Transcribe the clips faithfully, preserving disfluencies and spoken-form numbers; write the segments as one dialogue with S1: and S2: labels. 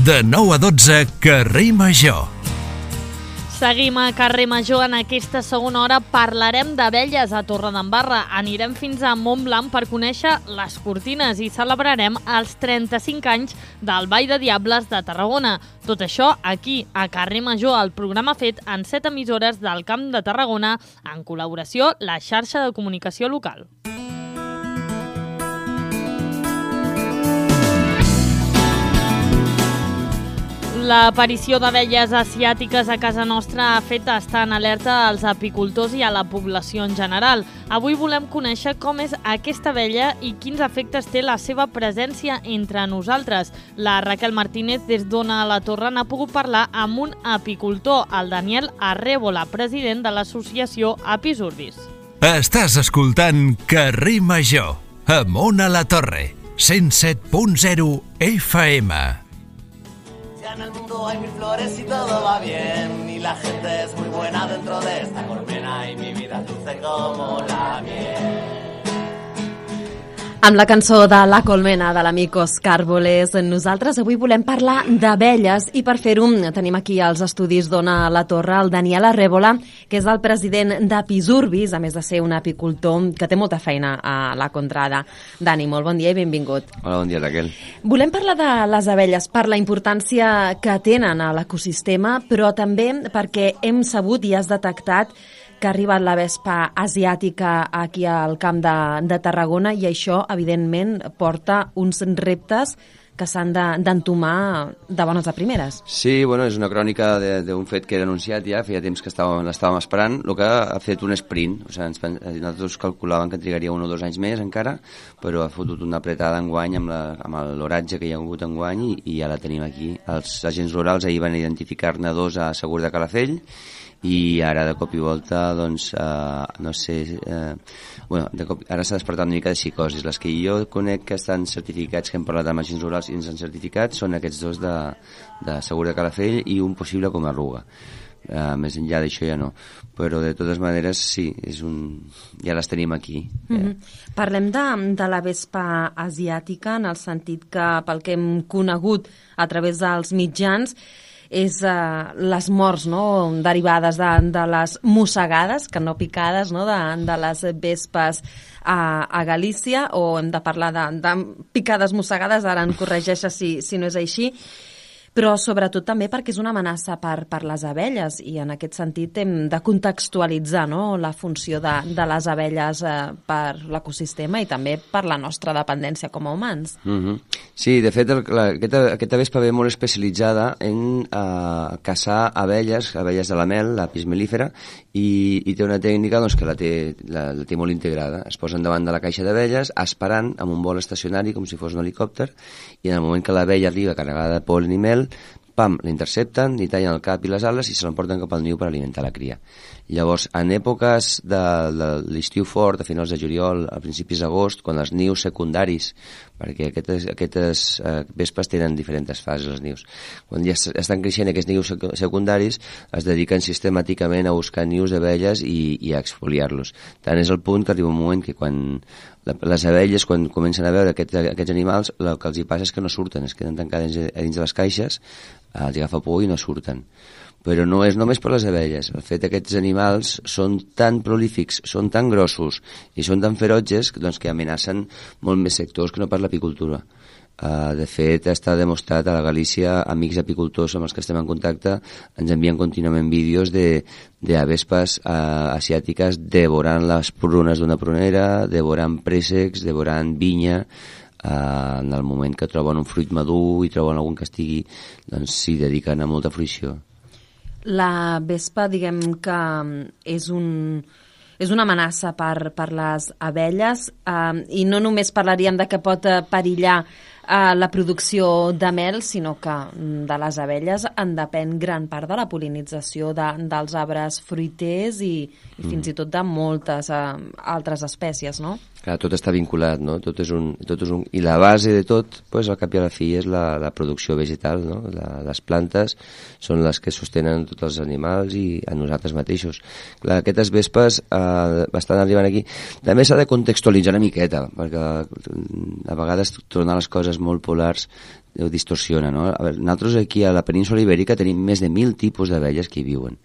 S1: De nou a dotze, Carrer Major.
S2: Seguim a Carrer Major. En aquesta segona hora parlarem d'abelles a Torredembarra. Anirem fins a Montblanc per conèixer les cortines i celebrarem els trenta-cinc anys del Ball de Diables de Tarragona. Tot això aquí, a Carrer Major, el programa fet en set emissores del Camp de Tarragona, en col·laboració la xarxa de comunicació local. L'aparició d'abelles asiàtiques a casa nostra ha fet estar en alerta als apicultors i a la població en general. Avui volem conèixer com és aquesta abella i quins efectes té la seva presència entre nosaltres. La Raquel Martínez, des d'Ona a la Torre, n'ha pogut parlar amb un apicultor, el Daniel Arrébola, president de l'associació Apis Urbis.
S1: Estàs escoltant Carrer Major, amb Ona la Torre, cent set punt zero F M.
S3: En el mundo hay mil flores y todo va bien y la gente es muy buena dentro de esta colmena y mi vida es dulce como la miel.
S4: Amb la cançó de La Colmena de l'amic Òscar Bolés, nosaltres avui volem parlar d'abelles i per fer-ho tenim aquí als estudis d'Ona a la Torre el Daniel Arrébola, que és el president d'Apis Urbis, a més de ser un apicultor que té molta feina a la contrada. Dani, molt bon dia i benvingut.
S5: Hola, bon dia, Raquel.
S4: Volem parlar de les abelles per la importància que tenen a l'ecosistema, però també perquè hem sabut i has detectat que ha arribat la vespa asiàtica aquí al Camp de, de Tarragona i això, evidentment, porta uns reptes que s'han d'entomar de bones a primeres.
S5: Sí, bueno, és una crònica d'un fet que era anunciat ja, feia temps que estàvem, l'estàvem esperant, el que ha fet un sprint, o sigui, ens, nosaltres calculàvem que trigaria un o dos anys més encara, però ha fotut una apretada enguany amb, la, amb l'oratge que hi ha hagut enguany i, i ja la tenim aquí. Els agents rurals ahir van identificar-ne dos a Segur de Calafell, i ara de cop i volta doncs uh, no sé uh, bueno, de cop, ara s'ha despertat una mica de psicosis. Les que jo conec que estan certificats, que hem parlat amb agents rurals i ens han certificat, són aquests dos de, de Segur de Calafell i un possible com a Arruga. Uh, més enllà d'això ja no, però de totes maneres sí, és un... ja les tenim aquí.
S4: Mm-hmm. Yeah. Parlem de, de la vespa asiàtica en el sentit que pel que hem conegut a través dels mitjans és uh, les morts, no?, derivades de, de les mossegades, que no picades, no?, de, de les vespes a, a Galícia, o hem de parlar de, de picades mossegades, ara en corregeixes si, si no és així, però sobretot també perquè és una amenaça per, per les abelles i en aquest sentit hem de contextualitzar, no?, la funció de, de les abelles eh, per l'ecosistema i també per la nostra dependència com a humans.
S5: Mm-hmm. Sí, de fet, el, la, aquesta, aquesta vespa ve molt especialitzada en eh, caçar abelles, abelles de la mel, l'apis mellifera, i, i té una tècnica doncs, que la té, la, la té molt integrada. Es posen davant de la caixa d'abelles esperant amb un vol estacionari com si fos un helicòpter i en el moment que l'abella arriba carregada de pol·len i mel, pam, l'intercepten, li tallen el cap i les ales i se l'emporten cap al niu per alimentar la cria. Llavors, en èpoques de, de l'estiu fort, a finals de juliol, a principis d'agost, quan els nius secundaris, perquè aquestes, aquestes eh, vespes tenen diferents fases, els nius, quan ja estan creixent aquests nius secundaris, es dediquen sistemàticament a buscar nius d'abelles i, i a exfoliar-los. Tant és el punt que arriba un moment que quan les abelles, quan comencen a veure aquest, aquests animals, el que els hi passa és que no surten, es queden tancades dins de les caixes, els agafa por i no surten. Però no és només per les abelles. El fet que aquests animals són tan prolífics, són tan grossos i són tan ferotges doncs, que amenacen molt més sectors que no pas l'apicultura. Uh, de fet, està demostrat a la Galícia, amics apicultors amb els que estem en contacte ens envien contínuament vídeos de, de avespes uh, asiàtiques devorant les prunes d'una prunera, devorant préssecs, devorant vinya, uh, en el moment que troben un fruit madur i troben algun que estigui, doncs s'hi dediquen a molta fruïció.
S4: La vespa, diguem que és un... és una amenaça per, per les abelles eh, i no només parlaríem de que pot perillar eh, la producció de mel, sinó que de les abelles en depèn gran part de la pol·linització de, dels arbres fruiters i, i fins i tot de moltes eh, altres espècies, no?
S5: Clar, tot està vinculat, no? Tot és un, tot és un... I la base de tot, pues, al cap i a la fi, és la, la producció vegetal, no? La, les plantes són les que sostenen tots els animals i a nosaltres mateixos. Clar, aquestes vespes eh, estan arribant aquí. També s'ha de contextualitzar una miqueta, perquè a vegades tornar les coses molt polars ho distorsiona, no? A veure, nosaltres aquí a la península Ibèrica tenim més de mil tipus d'abelles que hi viuen.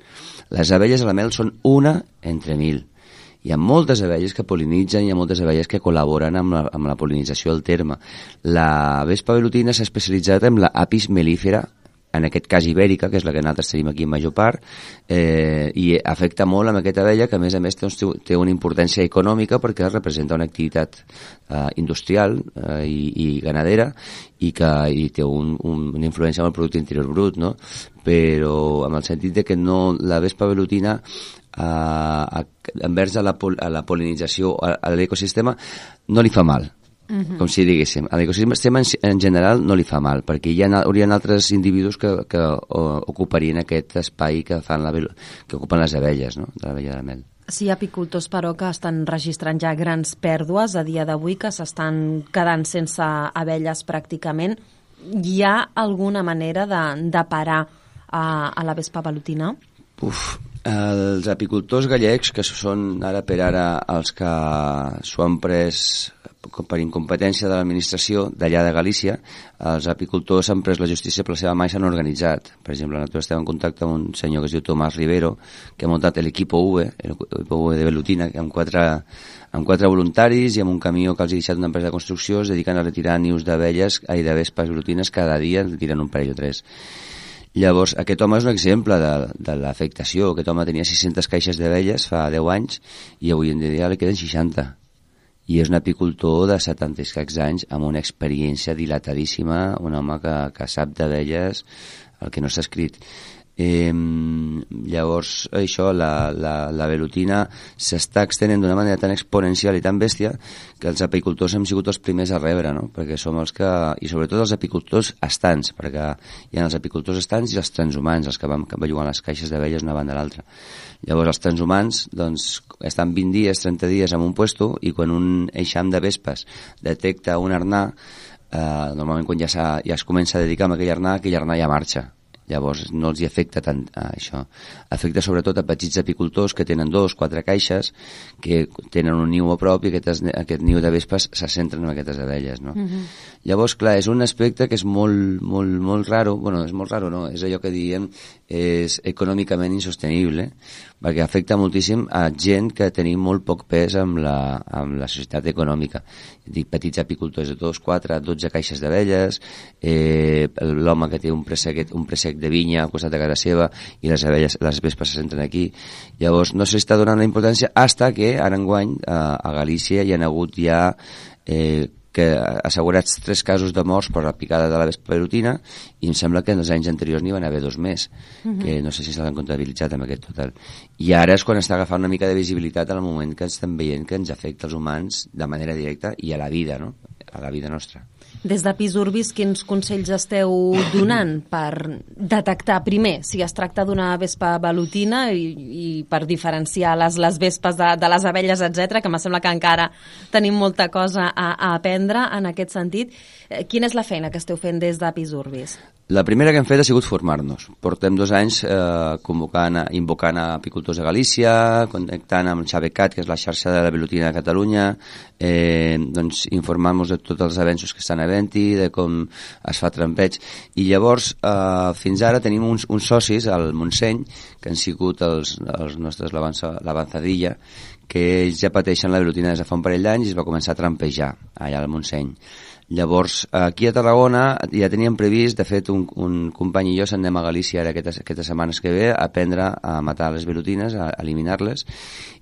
S5: Les abelles a la mel són una entre mil. Hi ha moltes abelles que pol·linitzen, hi ha moltes abelles que col·laboren amb la, amb la pol·linització del terme. La vespa velutina s'ha especialitzat en la Apis mellifera, en aquest cas ibèrica, que és la que nosaltres tenim aquí en major part, eh, i afecta molt amb aquesta abella, que a més a més doncs, té una importància econòmica perquè representa una activitat eh, industrial eh, i, i ganadera i que i té un, un, una influència amb el producte interior brut, no? Però amb el sentit de que no, la vespa velutina eh, envers a la, a la pol·linització, a, a l'ecosistema, no li fa mal. Uh-huh. Com si diguéssim, a l'ecosistema en, en general no li fa mal, perquè hi ha, hi ha altres individus que, que o, ocuparien aquest espai que, fan la, que ocupen les abelles, no? De l'abella de mel.
S4: Sí, hi ha apicultors, però, que estan registrant ja grans pèrdues a dia d'avui, que s'estan quedant sense abelles pràcticament. Hi ha alguna manera de, de parar a, a la vespa velutina?
S5: Uf, els apicultors gallecs, que són ara per ara els que s'ho han pres per incompetència de l'administració d'allà de Galícia, els apicultors han pres la justícia per la seva mà i s'han organitzat. Per exemple, nosaltres estem en contacte amb un senyor que es diu Tomàs Rivero, que ha muntat l'equip U V, l'equip U V de velutina, amb quatre, amb quatre voluntaris i amb un camió que els ha deixat una empresa de construcció, es dediquen a retirar nius d'abelles i de vespes velutines cada dia, en retiren un parell o tres. Llavors, aquest home és un exemple de, de l'afectació. Aquest home tenia sis-centes caixes d'abelles fa deu anys i avui en dia li queden seixanta. I és un apicultor de setanta i escacs anys amb una experiència dilatadíssima, un home que, que sap d'abelles el que no s'ha escrit. Eh, llavors, això, la, la, la velutina s'està extenent d'una manera tan exponencial i tan bèstia que els apicultors hem sigut els primers a rebre, no? Perquè som els que... I sobretot els apicultors estants, perquè hi ha els apicultors estants i els transhumants, els que van bellugant les caixes d'abelles una banda a l'altra. Llavors, els transhumants doncs, estan vint dies, trenta dies en un puesto i quan un eixam de vespes detecta un arnà, eh, normalment quan ja, ja es comença a dedicar a aquell arnà, aquell arnà ja marxa. Llavors no els hi afecta tant a això. Afecta sobretot a petits apicultors que tenen dos, quatre caixes, que tenen un niu a prop i aquest, aquest niu de vespes se centren en aquestes abelles, no? Uh-huh. Llavors, clar, és un aspecte que és molt, molt, molt raro, bueno, és molt raro, no? És allò que diem és econòmicament insostenible, perquè afecta moltíssim a gent que tenim molt poc pes amb la, amb la societat econòmica. Dic, petits apicultors de dos, quatre, dotze caixes d'abelles, eh, l'home que té un pressec, un pressec de vinya al costat de casa seva i les abelles, les vespes se centren aquí. Llavors no s'està donant la importància hasta que ara enguany a, a Galícia hi ha hagut ja eh, que assegurats tres casos de morts per la picada de la vespa velutina i em sembla que en els anys anteriors n'hi van haver dos més, uh-huh. que no sé si s'han comptabilitzat amb aquest total. I ara és quan està agafant una mica de visibilitat en el moment que estem veient que ens afecta els humans de manera directa i a la vida, no? A la vida nostra.
S4: Des de Pisurbis, quins consells esteu donant per detectar primer si es tracta d'una vespa velutina i, i per diferenciar les, les vespes de, de les abelles, etcètera, que em sembla que encara tenim molta cosa a, a aprendre en aquest sentit. Quina és la feina que esteu fent des de Pisurbis?
S5: La primera que hem fet ha sigut formar-nos. Portem dos anys eh, convocant, invocant a apicultors de Galícia, connectant amb el Xabecat, que és la xarxa de la velutina de Catalunya, eh, doncs informant-nos de tots els avenços que estan havent-hi, de com es fa trampeig. I llavors, eh, fins ara tenim uns, uns socis al Montseny, que han sigut els, els nostres l'avanzadilla, que ells ja pateixen la velutina des de fa un parell d'anys i es va començar a trampejar allà al Montseny. Llavors, aquí a Tarragona ja teníem previst, de fet, un, un company i jo s'anem a Galícia ara aquestes, aquestes setmanes que ve a aprendre a matar les velutines, a eliminar-les,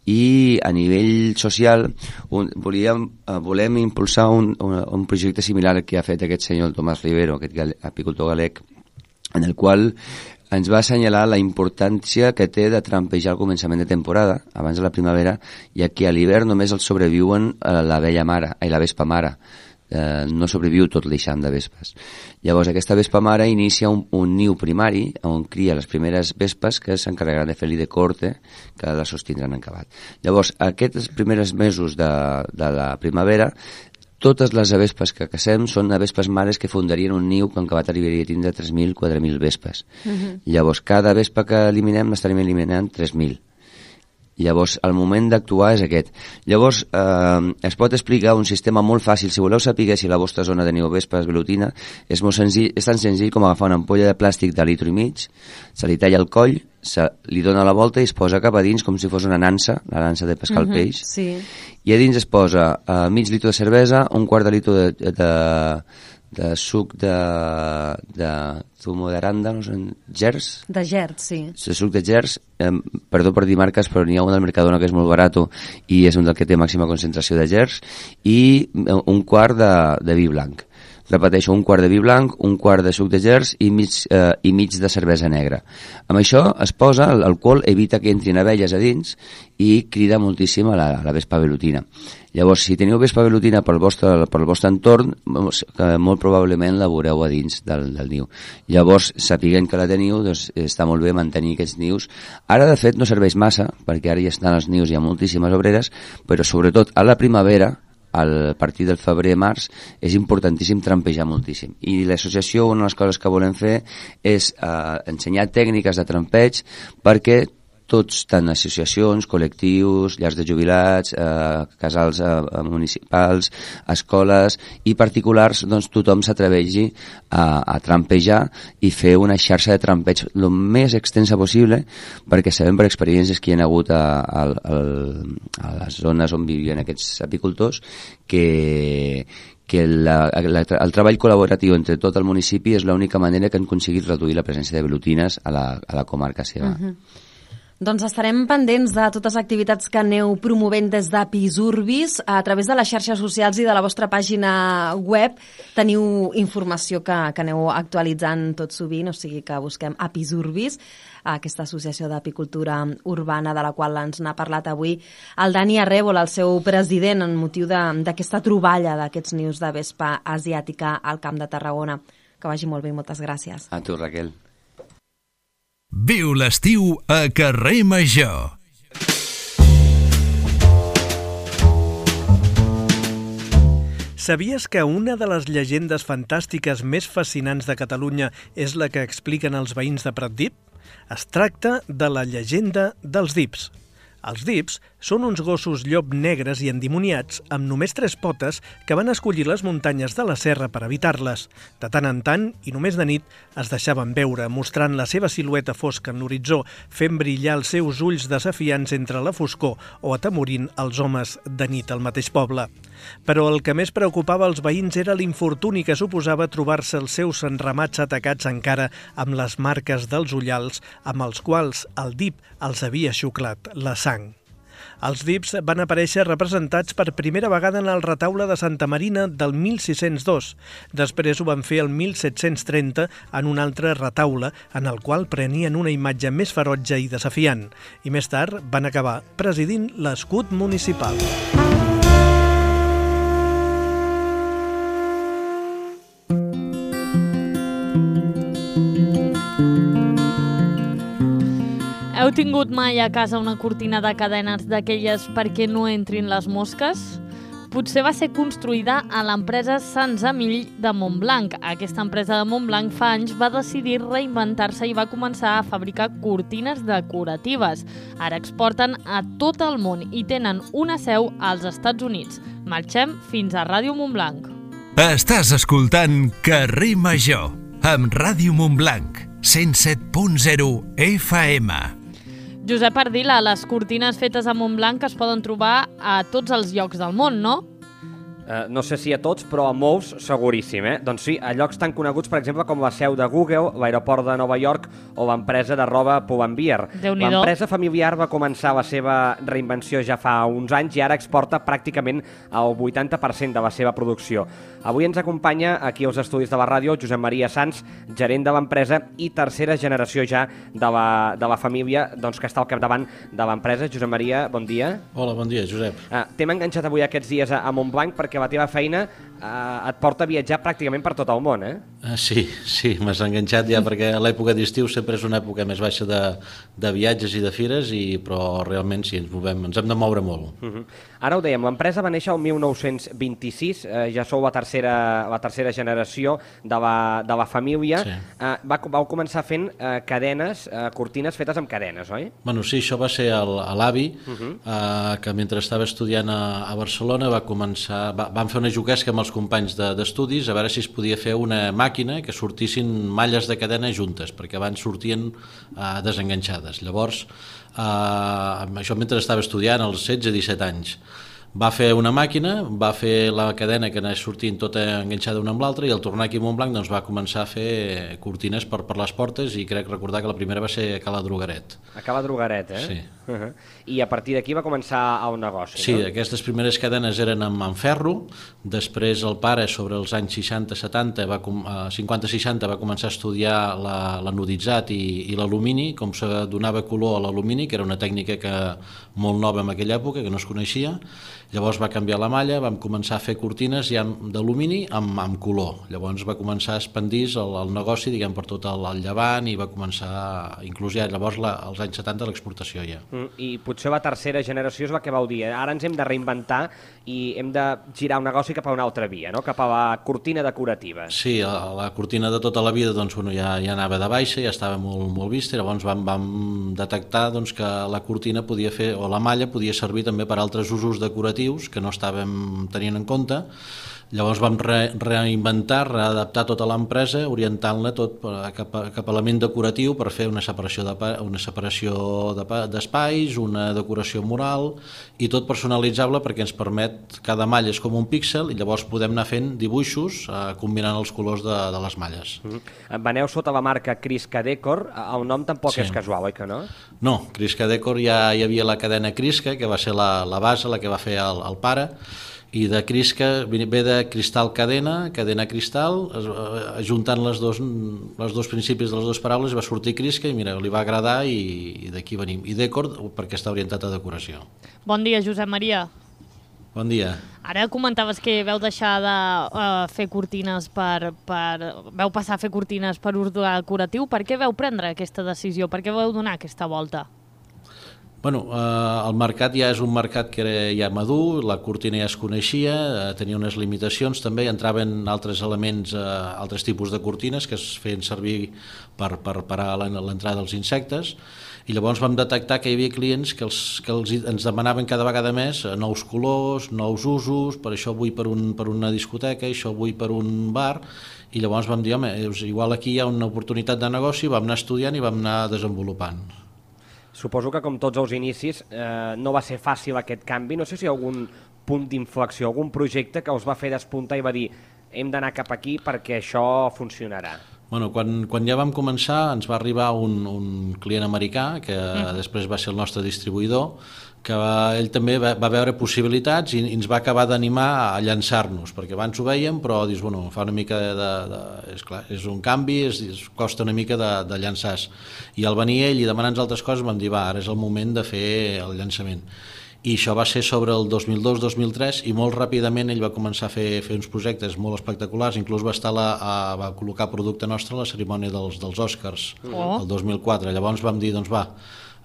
S5: i a nivell social un, volíem, volem impulsar un, un, un projecte similar al que ha fet aquest senyor, el Tomàs Rivero, aquest gal, apicultor galec, en el qual ens va assenyalar la importància que té de trampejar al començament de temporada, abans de la primavera, ja que a l'hivern només els sobreviuen l'abella mare, ai, la vespa mare. Eh, no sobreviu tot l'eixam de vespes. Llavors aquesta vespa mare inicia un, un niu primari on cria les primeres vespes que s'encarregaran de fer-li de corte que la sostindran en cavat. Llavors aquests primers mesos de, de la primavera totes les avespes que cacem són avespes mares que fundarien un niu que en cavat arribaria a tindre tres mil, quatre mil vespes. Uh-huh. Llavors cada vespa que eliminem n'estarem eliminant tres mil. Llavors, el moment d'actuar és aquest. Llavors, eh, es pot explicar un sistema molt fàcil. Si voleu saber si a la vostra zona teniu vespes velutina, és molt senzill, és tan senzill com agafar una ampolla de plàstic de litro i mig, se li talla el coll, se li dona la volta i es posa cap a dins com si fos una nansa, la nansa de pescar uh-huh, el peix,
S4: sí.
S5: I a dins es posa uh, mig litro de cervesa, un quart de litro de, de, de suc de, de zumo d'aranda, no sé, gers?
S4: De gers, sí.
S5: De suc de gers, eh, perdó per dir marques, però n'hi ha un del Mercadona que és molt barat i és un del que té màxima concentració de gers, i un quart de, de vi blanc. Repeteixo, un quart de vi blanc, un quart de suc de gers i mig, eh, i mig de cervesa negra. Amb això es posa, l'alcohol evita que entrin abelles a dins i crida moltíssim a la, a la vespa velutina. Llavors, si teniu vespa velutina pel vostre, pel vostre entorn, molt probablement la veureu a dins del, del niu. Llavors, sapiguent que la teniu, doncs està molt bé mantenir aquests nius. Ara, de fet, no serveix massa, perquè ara ja estan els nius, hi ha moltíssimes obreres, però sobretot a la primavera, a partir del febrer-març, és importantíssim trampejar moltíssim. I l'associació, una de les coses que volem fer és eh, ensenyar tècniques de trampeig perquè tots, tant associacions, col·lectius, llars de jubilats, eh, casals eh, municipals, escoles i particulars, doncs tothom s'atreveixi a, a trampejar i fer una xarxa de trampeig el més extensa possible, perquè sabem per experiències que hi ha hagut a, a, a les zones on vivien aquests apicultors que que la, la, el treball col·laboratiu entre tot el municipi és l'única manera que han aconseguit reduir la presència de velutines a la, a la comarca seva.
S4: Uh-huh. Doncs estarem pendents de totes les activitats que aneu promovent des d'Apis Urbis. A través de les xarxes socials i de la vostra pàgina web teniu informació que, que aneu actualitzant tot sovint, o sigui que busquem Apis Urbis, aquesta associació d'apicultura urbana de la qual ens n'ha parlat avui el Dani Arrèbol, el seu president, en motiu d'aquesta troballa d'aquests nius de vespa asiàtica al Camp de Tarragona. Que vagi molt bé i moltes gràcies.
S5: A tu, Raquel.
S1: Viu l'estiu a Carrer Major.
S6: Sabies que una de les llegendes fantàstiques més fascinants de Catalunya és la que expliquen els veïns de Pratdip? Es tracta de la llegenda dels dips. Els dips són uns gossos llop negres i endimoniats amb només tres potes que van escollir les muntanyes de la serra per evitar-les. De tant en tant, i només de nit, es deixaven veure, mostrant la seva silueta fosca en l'horitzó, fent brillar els seus ulls desafiants entre la foscor o atemorint els homes de nit al mateix poble. Però el que més preocupava els veïns era l'infortuni que suposava trobar-se els seus enramats atacats encara amb les marques dels ullals amb els quals el dip els havia xuclat la sang. Els dips van aparèixer representats per primera vegada en el retaule de Santa Marina del mil sis-cents dos. Després ho van fer el mil set-cents trenta en un altre retaule en el qual prenien una imatge més ferotge i desafiant. I més tard van acabar presidint l'escut municipal.
S2: Heu tingut mai a casa una cortina de cadenes d'aquelles perquè no entrin les mosques? Potser va ser construïda a l'empresa Sans Amill de Montblanc. Aquesta empresa de Montblanc fa anys va decidir reinventar-se i va començar a fabricar cortines decoratives. Ara exporten a tot el món i tenen una seu als Estats Units. Marxem fins a Ràdio Montblanc.
S1: Estàs escoltant Carrer Major amb Ràdio Montblanc, cent set punt zero F M.
S2: Josep Ardila, les cortines fetes a Montblanc es poden trobar a tots els llocs del món, no?
S7: Uh, no sé si a tots, però a molts seguríssim, eh? Doncs sí, a llocs tan coneguts, per exemple, com la seu de Google, l'aeroport de Nova York o l'empresa de roba Pull&Bear. L'empresa familiar va començar la seva reinvenció ja fa uns anys i ara exporta pràcticament el vuitanta per cent de la seva producció. Avui ens acompanya aquí als estudis de la ràdio Josep Maria Sans, gerent de l'empresa i tercera generació ja de la, de la família doncs, que està al capdavant de l'empresa. Josep Maria, bon dia.
S8: Hola, bon dia, Josep.
S7: Uh, T'hem enganxat avui aquests dies a, a Montblanc perquè la teva feina eh, et porta a viatjar pràcticament per tot el món, eh?
S8: Uh, sí, sí, m'has enganxat ja perquè l'època d'estiu sempre és una època més baixa de, de viatges i de fires, i, però realment sí, ens movem, ens hem de moure molt.
S7: Uh -huh. Ara ho dèiem, l'empresa va néixer el mil nou-cents vint-i-sis, eh, ja sou la tercera, la tercera generació de la, de la família. Sí. Eh, va, vau començar fent eh, cadenes, eh, cortines fetes amb cadenes, oi?
S8: Bueno, sí, això va ser l'avi, uh -huh. eh, que mentre estava estudiant a, a Barcelona va començar, va, van fer una juguesca amb els companys d'estudis de, a veure si es podia fer una màquina que sortissin malles de cadena juntes, perquè abans sortien eh, desenganxades. Llavors, eh, això mentre estava estudiant, als setze disset anys, va fer una màquina, va fer la cadena que anés sortint tota enganxada una amb l'altra, i al tornar aquí a Montblanc doncs, va començar a fer cortines per, per les portes, i crec recordar que la primera va ser a Cala Drogaret.
S7: A Cala Drogaret, eh?
S8: Sí.
S7: Uh -huh. I a partir d'aquí va començar el negoci,
S8: sí,
S7: no?
S8: Sí, aquestes primeres cadenes eren amb, amb ferro, després el pare, sobre els anys seixanta setanta, va, eh, cinquanta seixanta, va començar a estudiar l'anuditzat i, i l'alumini, com se donava color a l'alumini, que era una tècnica que molt nova en aquella època, que no es coneixia. Llavors va canviar la malla, vam començar a fer cortines ja d'alumini amb, amb color. Llavors va començar a expandir el, el negoci, diguem, per tot el, el Llevant, i va començar, inclús ja llavors la, als anys setanta, l'exportació ja.
S7: Mm, I potser la tercera generació és la que vau dir, eh? Ara ens hem de reinventar i hem de girar un negoci cap a una altra via, no? Cap a la cortina decorativa.
S8: Sí, la, la cortina de tota la vida doncs, bueno, ja, ja anava de baixa, ja estava molt, molt vista, i llavors vam, vam detectar doncs, que la cortina podia fer, o la malla podia servir també per altres usos decoratius que no estàvem tenint en compte. Llavors vam re, reinventar, readaptar tota l'empresa, orientant-la tot cap a, cap a element decoratiu per fer una separació de, una separació d'espais, de, una decoració mural, i tot personalitzable perquè ens permet, cada malla és com un píxel, i llavors podem anar fent dibuixos eh, combinant els colors de, de les malles.
S7: Mm-hmm. Veneu sota la marca Crisca Decor, el nom tampoc sí. és casual, oi que no?
S8: No, Crisca Decor ja hi havia la cadena Crisca, que va ser la, la base, la que va fer el, el pare, i de Crisca ve de cristal cadena, cadena cristal, ajuntant les dos, les dos principis de les dues paraules va sortir Crisca, i mira, li va agradar, i, i d'aquí venim. I Decor perquè està orientat a decoració.
S2: Bon dia, Josep Maria.
S8: Bon dia.
S2: Ara comentaves que veu deixar de uh, fer cortines per, per... veu passar a fer cortines per ús decoratiu. Per què veu prendre aquesta decisió? Per què veu donar aquesta volta?
S8: Bueno, eh, el mercat ja és un mercat que era ja madur, la cortina ja es coneixia, eh, tenia unes limitacions, també entraven altres elements, eh, altres tipus de cortines que es feien servir per, per parar l'entrada dels insectes, i llavors vam detectar que hi havia clients que, els, que els, ens demanaven cada vegada més nous colors, nous usos, per això vull per, un, per una discoteca, això vull per un bar, i llavors vam dir, home, igual aquí hi ha una oportunitat de negoci, vam anar estudiant i vam anar desenvolupant.
S7: Suposo que, com tots els inicis, eh, no va ser fàcil aquest canvi. No sé si hi ha algun punt d'inflexió, algun projecte que us va fer despuntar i va dir hem d'anar cap aquí perquè això funcionarà.
S8: Bueno, quan, quan ja vam començar ens va arribar un, un client americà, que mm. després va ser el nostre distribuïdor, que va, ell també va, va veure possibilitats i, i ens va acabar d'animar a llançar-nos, perquè abans ho veiem, però dius, bueno, fa una mica de... de, de és clar, és un canvi, és, és, costa una mica de, de llançar-se. I al venir ell i demanar-nos altres coses vam dir, va, ara és el moment de fer el llançament. I això va ser sobre el dos mil dos dos mil tres, i molt ràpidament ell va començar a fer, fer uns projectes molt espectaculars, inclús va, estar la, a, va col·locar producte nostre a la cerimònia dels, dels Oscars, oh. el dos mil quatre. Llavors vam dir, doncs va,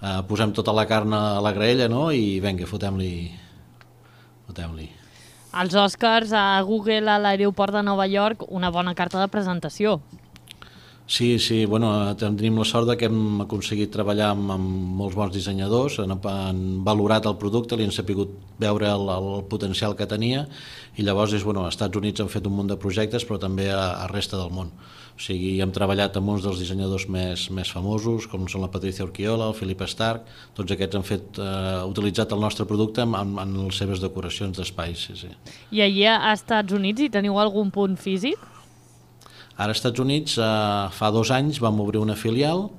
S8: Uh, posem tota la carn a la graella, no? I vinga, fotem-li. Fotem-li.
S2: Els Oscars a Google a l'aeroport de Nova York, una bona carta de presentació.
S8: Sí, sí, bueno, tenim la sort de que hem aconseguit treballar amb, amb molts bons dissenyadors, han, han valorat el producte, li han sapigut veure el, el potencial que tenia, i llavors és, bueno, als Estats Units han fet un munt de projectes, però també a, a resta del món. O sigui, hem treballat amb uns dels dissenyadors més, més famosos, com són la Patricia Urquiola, el Philip Stark, tots aquests han fet, eh, utilitzat el nostre producte en, en, en les seves decoracions d'espais. Sí, sí.
S2: I allà a Estats Units hi teniu algun punt físic?
S8: Ara als Estats Units, eh, fa dos anys vam obrir una filial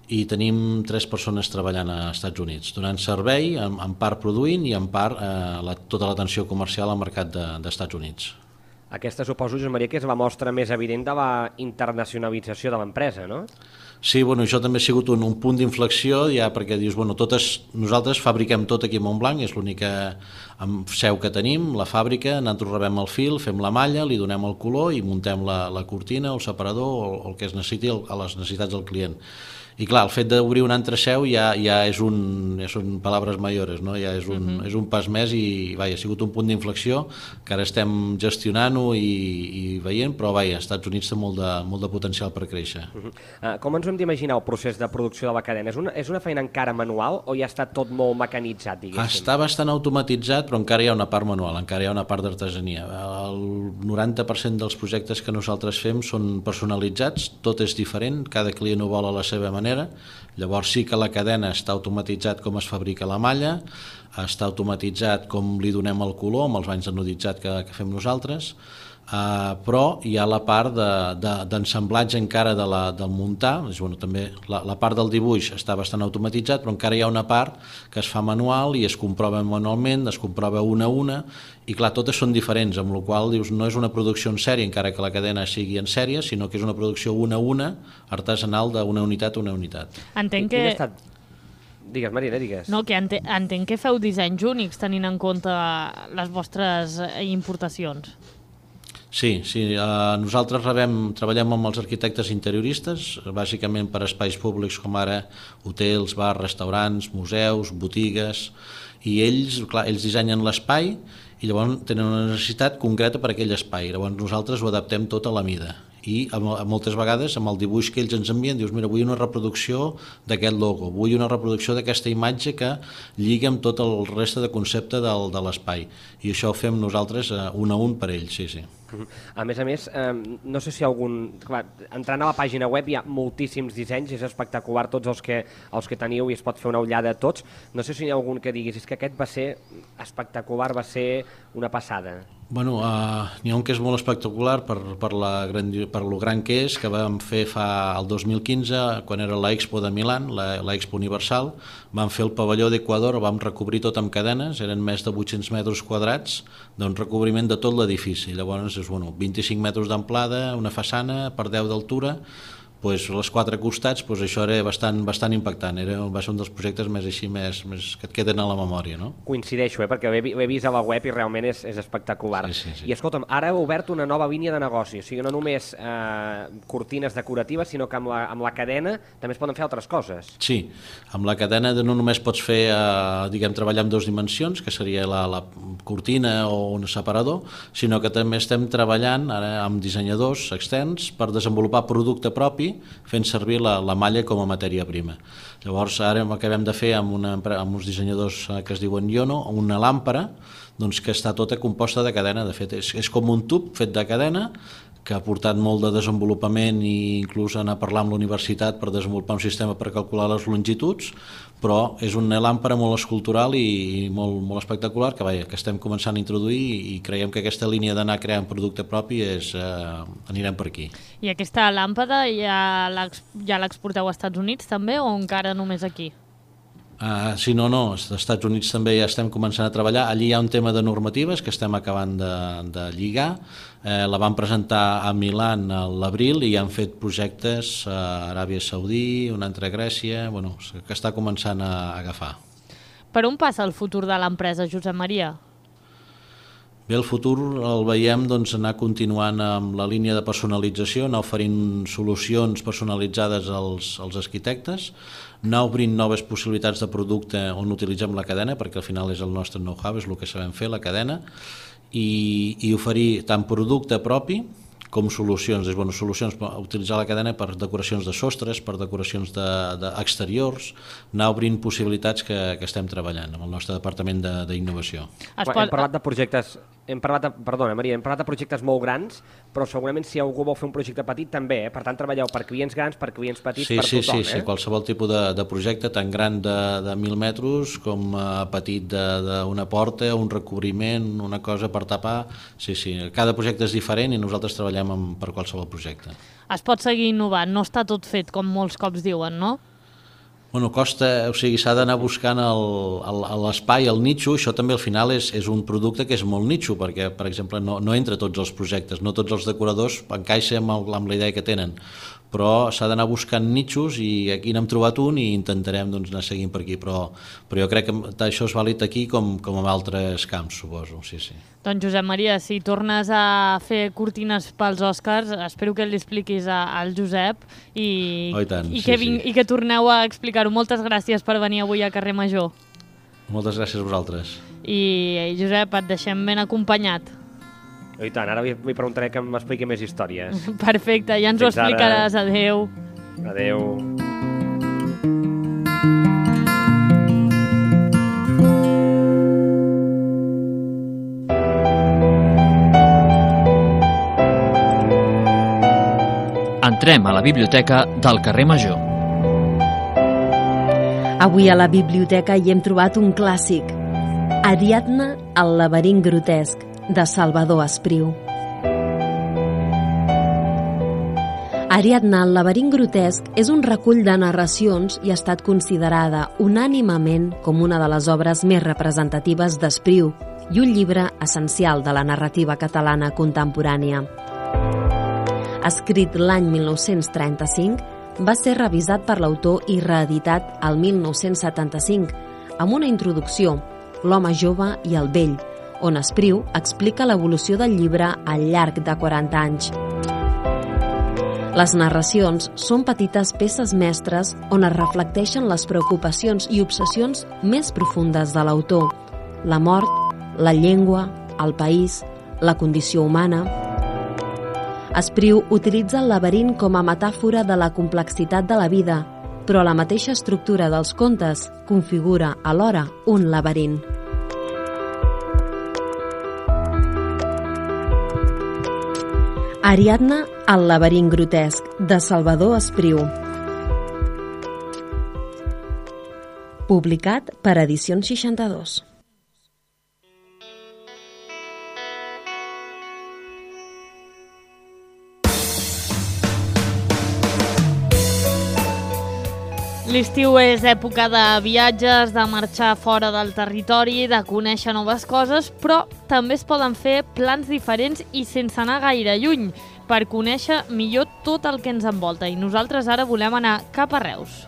S8: i tenim tres persones treballant als Estats Units, donant servei, en, en part produint i en part eh, la, tota l'atenció comercial al mercat de, dels Estats Units.
S7: Aquesta suposo, Josep Maria, que és la mostra més evident de la internacionalització de l'empresa, no?
S8: Sí, bueno, això també ha sigut un, un punt d'inflexió, ja perquè dius, bueno, totes, nosaltres fabriquem tot aquí a Montblanc, és l'única seu que tenim, la fàbrica, nosaltres rebem el fil, fem la malla, li donem el color i muntem la, la cortina, el separador o el que es necessiti a les necessitats del client. I clar, el fet d'obrir una altra seu ja, ja és un, ja són paraules mayores, no? Ja és un, uh-huh. és un pas més i vaja, ha sigut un punt d'inflexió que ara estem gestionant-ho i, i veient, però vaja, als Estats Units té molt de, molt de potencial per créixer.
S7: Uh-huh. uh, com ens hem d'imaginar el procés de producció de la cadena? És una, és una feina encara manual o ja està tot molt mecanitzat, diguéssim?
S8: Està bastant automatitzat, però encara hi ha una part manual, encara hi ha una part d'artesania. El noranta per cent dels projectes que nosaltres fem són personalitzats, tot és diferent, cada client ho vol a la seva manera. Llavors sí que la cadena està automatitzat com es fabrica la malla, està automatitzat com li donem el color amb els banys anoditzat que, que fem nosaltres, Uh, però hi ha la part d'ensamblatge de, de, encara de la, del muntar, és, bueno, també la, la part del dibuix està bastant automatitzat, però encara hi ha una part que es fa manual i es comprova manualment, es comprova una a una, i clar, totes són diferents, amb la qual dius, no és una producció en sèrie, encara que la cadena sigui en sèrie, sinó que és una producció una a una, artesanal d'una unitat a una unitat.
S2: Entenc que...
S7: Estat... Digues, Marina, digues.
S2: No, que ente... entenc que feu dissenys únics tenint en compte les vostres importacions.
S8: Sí, sí. Uh, nosaltres rebem, treballem amb els arquitectes interioristes, bàsicament per espais públics com ara hotels, bars, restaurants, museus, botigues, i ells, clar, ells dissenyen l'espai i llavors tenen una necessitat concreta per a aquell espai. Llavors nosaltres ho adaptem tot a la mida. I moltes vegades amb el dibuix que ells ens envien dius, mira, vull una reproducció d'aquest logo, vull una reproducció d'aquesta imatge que lliga amb tot el reste de concepte del, de l'espai, i això ho fem nosaltres un a un per ells, sí, sí.
S7: A més a més, eh, no sé si algun... Clar, entrant a la pàgina web hi ha moltíssims dissenys, és espectacular tots els que, els que teniu i es pot fer una ullada a tots. No sé si hi ha algun que diguis, és que aquest va ser espectacular, va ser una passada.
S8: Bueno, uh, n'hi ha un que és molt espectacular per, per, la gran, per lo gran que és, que vam fer fa el dos mil quinze, quan era l'Expo de Milan, la, l'Expo Universal, vam fer el pavelló d'Equador, vam recobrir tot amb cadenes, eren més de vuit-cents metres quadrats, d'un recobriment de tot l'edifici. Llavors, és, bueno, vint-i-cinc metres d'amplada, una façana per deu d'altura, pues, als quatre costats, pues, això era bastant, bastant impactant, era, va ser un dels projectes més així, més, més que et queden a la memòria, no?
S7: Coincideixo, eh? Perquè l'he vist a la web i realment és, és espectacular.
S8: Sí, sí, sí.
S7: I escolta'm, ara heu obert una nova línia de negoci, o sigui, no només eh, cortines decoratives, sinó que amb la, amb la cadena també es poden fer altres coses.
S8: Sí, amb la cadena no només pots fer, eh, diguem, treballar en dues dimensions, que seria la, la cortina o un separador, sinó que també estem treballant ara amb dissenyadors externs per desenvolupar producte propi fent servir la, la malla com a matèria prima. Llavors ara acabem de fer amb, una, amb uns dissenyadors que es diuen Iono una làmpara, doncs, que està tota composta de cadena. De fet, és, és com un tub fet de cadena que ha portat molt de desenvolupament i inclús anar a parlar amb la universitat per desenvolupar un sistema per calcular les longituds, però és una làmpara molt escultural i, i molt, molt espectacular que, vaja, que estem començant a introduir i creiem que aquesta línia d'anar creant producte propi és, eh, anirem per aquí.
S2: I aquesta làmpada ja l'exporteu als Estats Units també o encara només aquí?
S8: Uh, sí, no, no, als Estats Units també ja estem començant a treballar. Allí hi ha un tema de normatives que estem acabant de, de lligar. Eh, la vam presentar a Milan a l'abril i han fet projectes a Aràbia Saudí, un altre a Grècia, bueno, que està començant a agafar.
S2: Per on passa el futur de l'empresa, Josep Maria?
S8: Bé, el futur el veiem, doncs, anar continuant amb la línia de personalització, anar oferint solucions personalitzades als, als arquitectes, anar obrint noves possibilitats de producte on utilitzem la cadena, perquè al final és el nostre know-how, és el que sabem fer, la cadena, i, i oferir tant producte propi com solucions, és, bueno, solucions per utilitzar la cadena per decoracions de sostres, per decoracions d'exteriors, de, de anar obrint possibilitats que, que estem treballant amb el nostre departament d'innovació.
S7: De, pot... Hem parlat de projectes, hem parlat de, perdona Maria, hem parlat de projectes molt grans, però segurament si algú vol fer un projecte petit també, eh? Per tant treballeu per clients grans, per clients petits,
S8: sí,
S7: per
S8: sí,
S7: tothom.
S8: Sí, sí,
S7: eh?
S8: qualsevol tipus de, de projecte, tant gran de, de mil metres com uh, petit d'una porta, un recobriment, una cosa per tapar, sí, sí, cada projecte és diferent i nosaltres treballem amb, per qualsevol projecte.
S2: Es pot seguir innovant, no està tot fet com molts cops diuen, no?
S8: Bueno, costa, o sigui, s'ha d'anar buscant l'espai, el, el nicho, això també al final és, és un producte que és molt nicho, perquè, per exemple, no, no entra tots els projectes, no tots els decoradors encaixen amb, el, amb la idea que tenen, però s'ha d'anar buscant nichos i aquí n'hem trobat un i intentarem doncs, anar seguint per aquí, però, però jo crec que això és vàlid aquí com, com en altres camps, suposo, sí, sí.
S2: Doncs Josep Maria, si tornes a fer cortines pels Oscars, espero que li expliquis a, al Josep i,
S8: oh, i, tant,
S2: i,
S8: sí,
S2: que ving,
S8: sí.
S2: i que torneu a explicar-ho. Moltes gràcies per venir avui a Carrer Major.
S8: Moltes gràcies a vosaltres.
S2: I Josep, et deixem ben acompanyat.
S7: I tant, ara li preguntaré que m'expliqui més històries.
S2: Perfecte, ja ens ho explicaràs. Adéu.
S7: Adéu.
S9: Entrem a la biblioteca del Carrer Major.
S4: Avui a la biblioteca hi hem trobat un clàssic, Ariadna, el laberint grotesc, de Salvador Espriu. Ariadna, el laberint grotesc, és un recull de narracions i ha estat considerada unànimement com una de les obres més representatives d'Espriu i un llibre essencial de la narrativa catalana contemporània. Escrit l'any mil nou-cents trenta-cinc, va ser revisat per l'autor i reeditat el mil nou-cents setanta-cinc amb una introducció, L'home jove i el vell, on Espriu explica l'evolució del llibre al llarg de quaranta anys. Les narracions són petites peces mestres on es reflecteixen les preocupacions i obsessions més profundes de l'autor: la mort, la llengua, el país, la condició humana. Espriu utilitza el laberint com a metàfora de la complexitat de la vida, però la mateixa estructura dels contes configura alhora un laberint. Ariadna, el laberint grotesc, de Salvador Espriu. Publicat per Edicions seixanta-dos.
S2: L'estiu és època de viatges, de marxar fora del territori, de conèixer noves coses, però també es poden fer plans diferents i sense anar gaire lluny, per conèixer millor tot el que ens envolta. I nosaltres ara volem anar cap a Reus.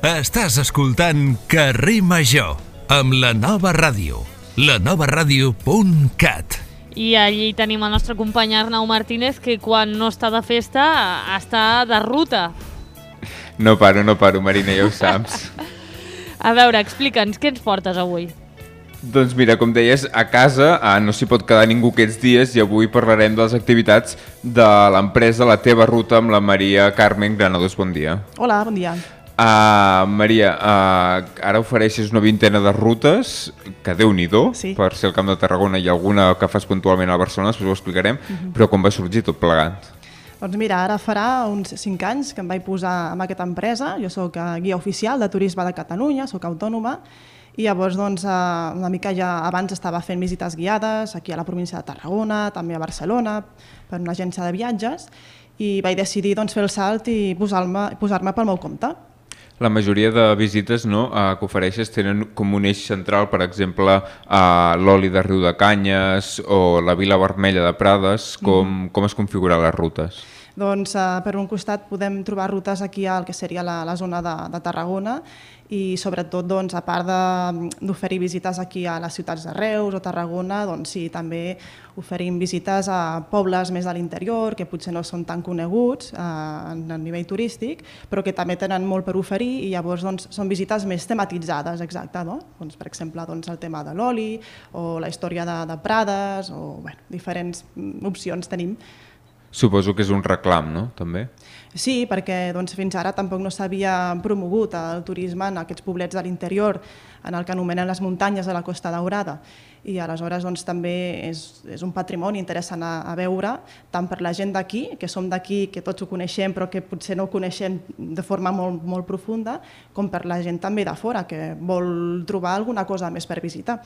S1: Estàs escoltant Carrer Major, amb la Nova Ràdio, la nova ràdio punt cat.
S2: I allí tenim el nostre company Arnau Martínez, que quan no està de festa està de ruta.
S10: No paro, no paro, Marina, ja ho saps.
S2: A veure, explica'ns, què ens portes avui?
S10: Doncs mira, com deies, a casa ah, no s'hi pot quedar ningú aquests dies i avui parlarem de les activitats de l'empresa La Teva Ruta amb la Maria Carmen Granados. Bon dia.
S11: Hola, bon dia.
S10: Uh, Maria, uh, ara ofereixes una vintena de rutes, que Déu-n'hi-do, sí. Per ser al Camp de Tarragona i alguna que fas puntualment a Barcelona, després ho explicarem, uh-huh. Però com va sorgir tot plegat?
S11: Doncs mira, ara farà uns cinc anys que em vaig posar en aquesta empresa. Jo soc guia oficial de turisme de Catalunya, soc autònoma, i llavors doncs, una mica ja abans estava fent visites guiades aquí a la província de Tarragona, també a Barcelona, per una agència de viatges, i vaig decidir doncs, fer el salt i posar-me posar-me pel meu compte.
S10: La majoria de visites, no, eh, que ofereixes tenen com un eix central, per exemple, eh, l'oli de Riu de Canyes o la Vila Vermella de Prades. Com, mm. com es configuren les rutes?
S11: Doncs eh, per un costat podem trobar rutes aquí al que seria la, la zona de, de Tarragona i sobretot doncs, a part d'oferir visites aquí a les ciutats de Reus o Tarragona, doncs sí, també oferim visites a pobles més de l'interior que potser no són tan coneguts eh, a nivell turístic, però que també tenen molt per oferir i llavors doncs, són visites més tematitzades, exacte, no? Doncs, per exemple, doncs, el tema de l'oli o la història de, de Prades o bueno, diferents opcions tenim.
S10: Suposo que és un reclam, no? També?
S11: Sí, perquè doncs, fins ara tampoc no s'havia promogut el turisme en aquests poblets de l'interior, en el que anomenen les muntanyes de la Costa Daurada. I aleshores doncs, també és, és un patrimoni interessant a, a veure, tant per la gent d'aquí, que som d'aquí, que tots ho coneixem, però que potser no ho coneixem de forma molt, molt profunda, com per la gent també de fora, que vol trobar alguna cosa més per visitar.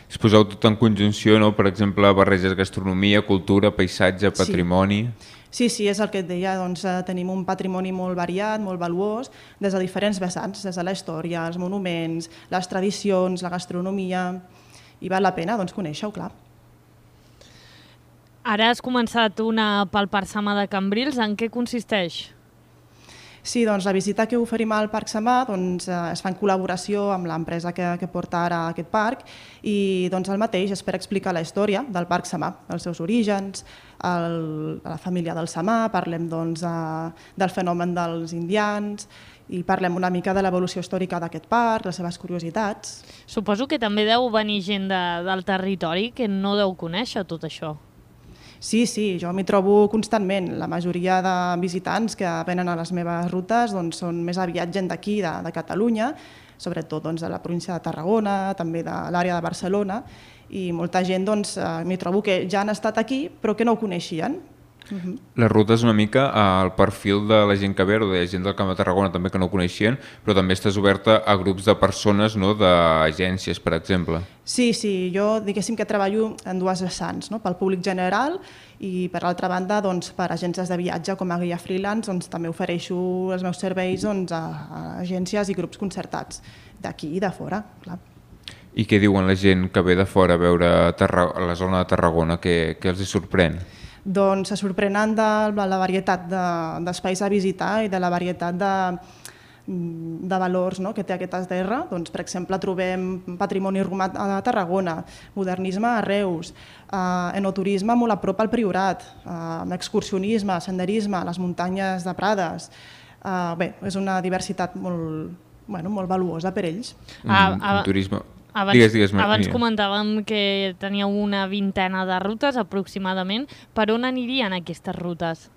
S10: Es poseu tot en conjunció, no? Per exemple, barreges gastronomia, cultura, paisatge, patrimoni...
S11: Sí. Sí, sí, és el que et deia, doncs, tenim un patrimoni molt variat, molt valuós, des de diferents vessants, des de la història, els monuments, les tradicions, la gastronomia, i val la pena doncs, conèixer-ho, clar.
S2: Ara has començat una pel Parc Samà de Cambrils, en què consisteix?
S11: Sí, doncs la visita que oferim al Parc Samà doncs, es fa en col·laboració amb l'empresa que, que porta ara aquest parc i doncs, el mateix és per explicar la història del Parc Samà, els seus orígens, el, la família del Samà, parlem doncs, del fenomen dels indians i parlem una mica de l'evolució històrica d'aquest parc, les seves curiositats.
S2: Suposo que també deu venir gent de, del territori que no deu conèixer tot això.
S11: Sí, sí, jo m'hi trobo constantment. La majoria de visitants que venen a les meves rutes doncs, són més aviat gent d'aquí, de, de Catalunya, sobretot doncs, de la província de Tarragona, també de l'àrea de Barcelona, i molta gent doncs, m'hi trobo que ja han estat aquí però que no ho coneixien. Uh-huh.
S10: La ruta és una mica al perfil de la gent que ve, o de la gent del Camp de Tarragona també que no ho coneixien, però també estàs oberta a grups de persones, no? D'agències, per exemple.
S11: Sí, sí, jo diguéssim que treballo en dues vessants, no? Pel públic general i per altra banda doncs, per agències de viatge com a guia freelance doncs, també ofereixo els meus serveis doncs, a, a agències i grups concertats d'aquí i de fora, clar.
S10: I què diuen la gent que ve de fora a veure Tarra... la zona de Tarragona? Què, què els hi sorprèn?
S11: Doncs se sorprenen de la varietat d'espais de, a visitar i de la varietat de, de valors, no?, que té aquesta terra. Doncs, per exemple, trobem patrimoni romà a Tarragona, modernisme a Reus, eh, enoturisme molt a prop al Priorat, eh, excursionisme, senderisme, les muntanyes de Prades. Eh, bé, és una diversitat molt, bueno, molt valuosa per ells.
S10: Ah, ah, un turisme...
S2: Abans,
S10: digues, digues,
S2: abans comentàvem que teníeu una vintena de rutes aproximadament. Per on anirien aquestes rutes?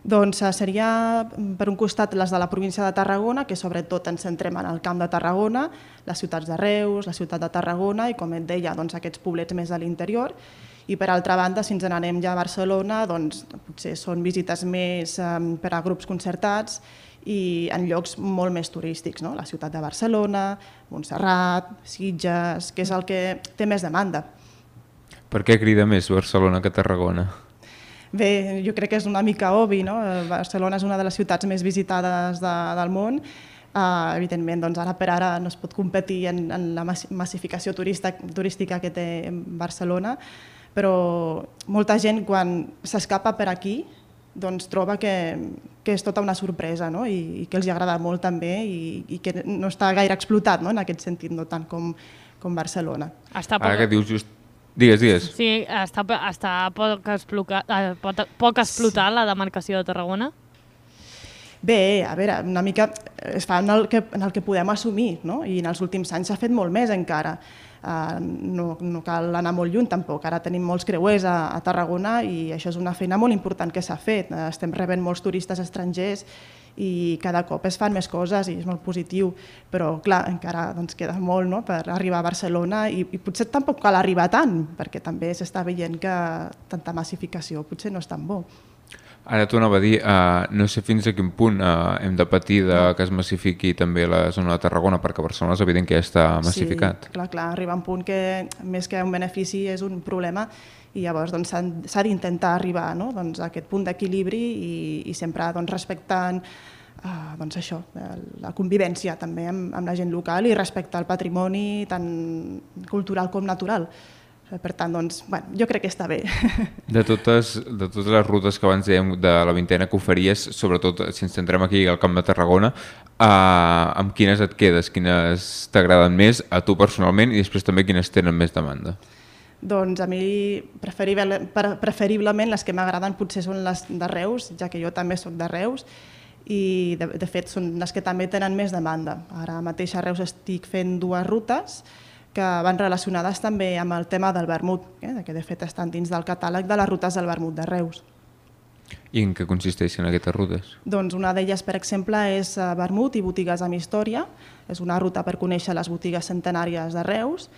S11: Doncs seria per un costat les de la província de Tarragona, que sobretot ens centrem en el Camp de Tarragona, les ciutats de Reus, la ciutat de Tarragona i, com et deia, doncs, aquests poblets més de l'interior. I per altra banda, si ens n'anem ja a Barcelona, doncs, potser són visites més eh, per a grups concertats i en llocs molt més turístics, no? La ciutat de Barcelona, Montserrat, Sitges, que és el que té més demanda.
S10: Per què crida més Barcelona que Tarragona?
S11: Bé, jo crec que és una mica obvi, no? Barcelona és una de les ciutats més visitades de, del món. Uh, evidentment, doncs ara per ara no es pot competir en, en la massificació turista, turística que té Barcelona, però molta gent quan s'escapa per aquí doncs troba que, que és tota una sorpresa, no? I, i que els agrada molt també i, i que no està gaire explotat, no? En aquest sentit, no tant com, com Barcelona.
S2: Està poc...
S10: Ara que dius just... Digues, digues.
S2: Sí, està, està poc, exploca... poc, poc explotar la demarcació de Tarragona?
S11: Bé, a veure, una mica es fa en el que, en el que podem assumir, no? I en els últims anys s'ha fet molt més encara. Uh, no, no cal anar molt lluny tampoc, ara tenim molts creuers a, a Tarragona i això és una feina molt important que s'ha fet, uh, estem rebent molts turistes estrangers i cada cop es fan més coses i és molt positiu, però clar, encara doncs, queda molt, no?, per arribar a Barcelona i, i potser tampoc cal arribar tant, perquè també s'està veient que tanta massificació potser no és tan bo.
S10: Ara t'ho anava a dir, uh, no sé fins a quin punt uh, hem de patir de que es massifiqui també la zona de Tarragona, perquè Barcelona és evident que ja està massificat.
S11: Sí, clar, clar, arriba un punt que més que un benefici és un problema i llavors doncs, s'ha d'intentar arribar, no?, doncs, a aquest punt d'equilibri i, i sempre doncs, respectant uh, doncs, això, la convivència també amb, amb la gent local i respectar el patrimoni tant cultural com natural. Per tant, doncs, bueno, jo crec que està bé.
S10: De totes, de totes les rutes que abans dèiem de la vintena que oferíes, sobretot si ens centrem aquí al Camp de Tarragona, eh, amb quines et quedes? Quines t'agraden més a tu personalment i després també quines tenen més demanda?
S11: Doncs a mi preferible, preferiblement les que m'agraden potser són les de Reus, ja que jo també soc de Reus, i de, de fet són les que també tenen més demanda. Ara mateix a Reus estic fent dues rutes que van relacionades també amb el tema del vermut, eh? que de fet estan dins del catàleg de les rutes del vermut de Reus.
S10: I en què consisteixen aquestes rutes?
S11: Doncs una d'elles, per exemple, és vermut i botigues amb història. És una ruta per conèixer les botigues centenàries de Reus.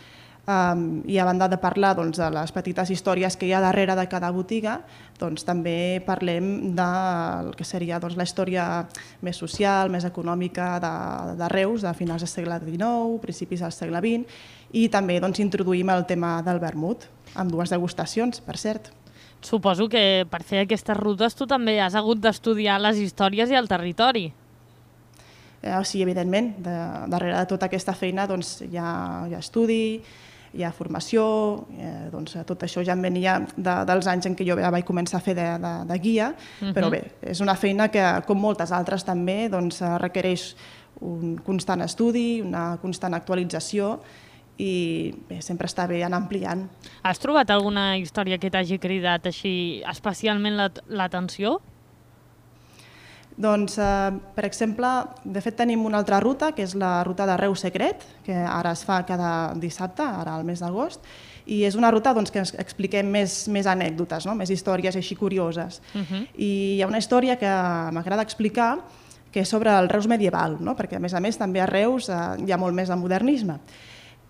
S11: Um, I a banda de parlar doncs, de les petites històries que hi ha darrere de cada botiga, doncs, també parlem del que seria doncs, la història més social, més econòmica de, de Reus, de finals del segle dinou, principis del segle vint, i també doncs, introduïm el tema del vermut, amb dues degustacions, per cert.
S2: Suposo que per fer aquestes rutes tu també has hagut d'estudiar les històries i el territori.
S11: Eh, sí, evidentment, de, darrere de tota aquesta feina doncs, hi, ha, hi ha estudi, hi ha formació, eh, doncs, tot això ja em venia de, dels anys en què jo vaig començar a fer de, de, de guia, uh-huh. però bé, és una feina que, com moltes altres també, doncs, requereix un constant estudi, una constant actualització i bé, sempre està bé anar ampliant.
S2: Has trobat alguna història que t'hagi cridat així especialment l'atenció?
S11: Doncs, eh, per exemple, de fet tenim una altra ruta, que és la ruta de Reus Secret, que ara es fa cada dissabte, ara al mes d'agost, i és una ruta doncs, que ens expliquem més, més anècdotes, no? Més històries així curioses. Uh-huh. I hi ha una història que m'agrada explicar, que és sobre el Reus medieval, no? Perquè a més a més també a Reus eh, hi ha molt més de modernisme.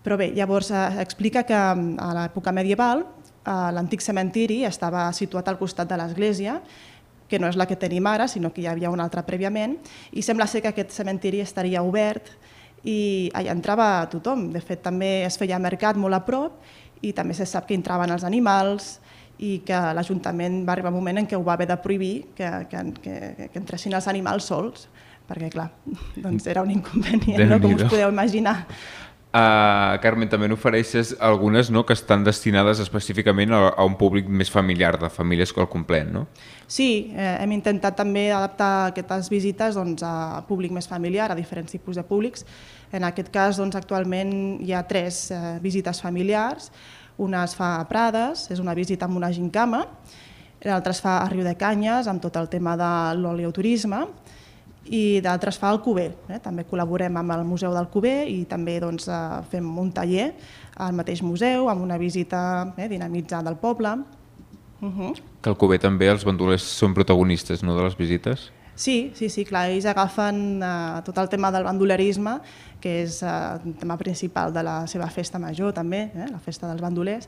S11: Però bé, llavors eh, explica que a l'època medieval eh, l'antic cementiri estava situat al costat de l'església, que no és la que tenim ara, sinó que hi havia una altra prèviament, i sembla ser que aquest cementiri estaria obert i allà entrava tothom. De fet, també es feia mercat molt a prop i també se sap que entraven els animals i que l'Ajuntament va arribar un moment en què ho va haver de prohibir que, que, que, que entressin els animals sols, perquè clar, doncs era un inconvenient, no? Com us podeu imaginar.
S10: Uh, Carmen, també n'ofereixes algunes, no?, que estan destinades específicament a, a un públic més familiar, de famílies al complet, no?
S11: Sí, eh, hem intentat també adaptar aquestes visites doncs, a públic més familiar, a diferents tipus de públics. En aquest cas, doncs, actualment hi ha tres eh, visites familiars. Una es fa a Prades, és una visita amb una gincama, l'altra es fa a Riudecanyes, amb tot el tema de l'oleoturisme, i d'altres fa al Cuber. Eh? També col·laborem amb el Museu del Cuber i també doncs, eh, fem un taller al mateix museu amb una visita eh, dinamitzada al poble. Uh-huh.
S10: Que al Cuber també els bandolers són protagonistes, no?, de les visites?
S11: Sí, sí, sí, clar, ells agafen eh, tot el tema del bandolerisme, que és eh, el tema principal de la seva festa major també, eh, la festa dels bandolers,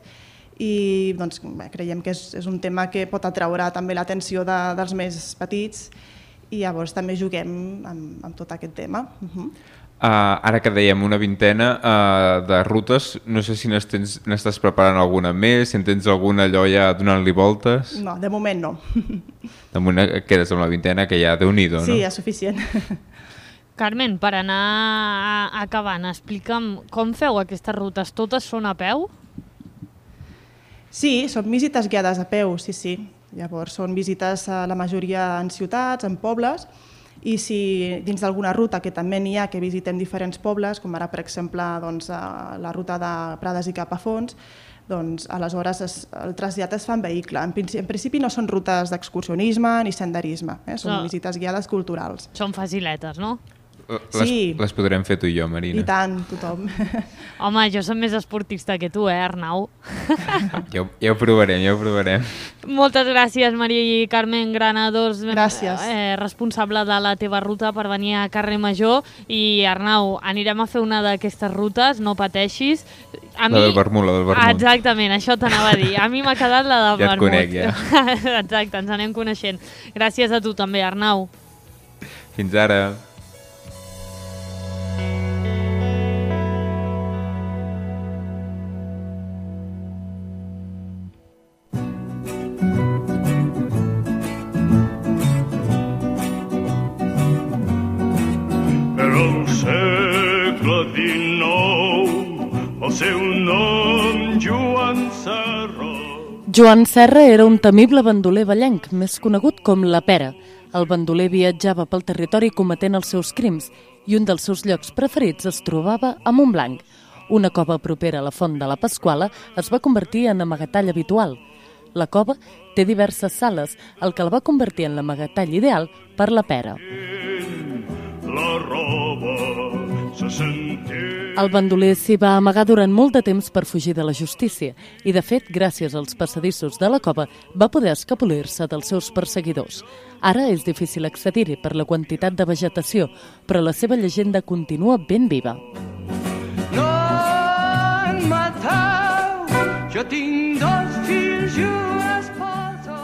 S11: i doncs, bé, creiem que és, és un tema que pot atraure també l'atenció de, dels més petits i llavors també juguem amb, amb tot aquest tema. Uh-huh.
S10: uh, ara que dèiem una vintena uh, de rutes, no sé si n'estàs preparant alguna més, si en tens alguna allò ja donant-li voltes.
S11: No, de moment no.
S10: De moment quedes amb la vintena, que ja déu-n'hi-do, no?
S11: Sí, és suficient.
S2: Carmen, per anar acabant, explica'm com feu aquestes rutes, totes són a peu?
S11: Sí, són visites guiades a peu, sí, sí. Llavors són visites a la majoria en ciutats, en pobles, i si dins d'alguna ruta, que també n'hi ha, que visitem diferents pobles, com ara per exemple doncs, la ruta de Prades i Capafonts, doncs aleshores es, el trasllat es fa en vehicle. En principi, en principi no són rutes d'excursionisme ni senderisme, eh? Són no. visites guiades culturals.
S2: Són faciletes, no?
S10: Les,
S11: sí.
S10: les podrem fer tu i jo, Marina.
S11: I tant, tothom.
S2: Home, jo soc més esportista que tu, eh, Arnau?
S10: Ja, ja ho provarem, ja ho provarem.
S2: Moltes gràcies, Maria i Carmen Granados.
S11: Gràcies.
S2: Eh, responsable de la teva ruta per venir a Carrer Major. I, Arnau, anirem a fer una d'aquestes rutes, no pateixis.
S10: A mi... La del vermut, la del vermut.
S2: Exactament, això t'anava a dir. A mi m'ha quedat la del
S10: ja
S2: vermut.
S10: Ja et conec, ja.
S2: Exacte, ens anem coneixent. Gràcies a tu també, Arnau.
S10: Fins ara.
S12: Joan Serra era un temible bandoler vallenc, més conegut com la Pera. El bandoler viatjava pel territori cometent els seus crims i un dels seus llocs preferits es trobava a Montblanc. Una cova propera a la Font de la Pasquala es va convertir en amagatall habitual. La cova té diverses sales, el que la va convertir en l'amagatall ideal per la Pera. La roba se sentia... El bandoler s'hi va amagar durant molt de temps per fugir de la justícia i, de fet, gràcies als passadissos de la cova, va poder escapolir-se dels seus perseguidors. Ara és difícil accedir-hi per la quantitat de vegetació, però la seva llegenda continua ben viva.
S13: No em matau, jo tinc dos fills i una esposa.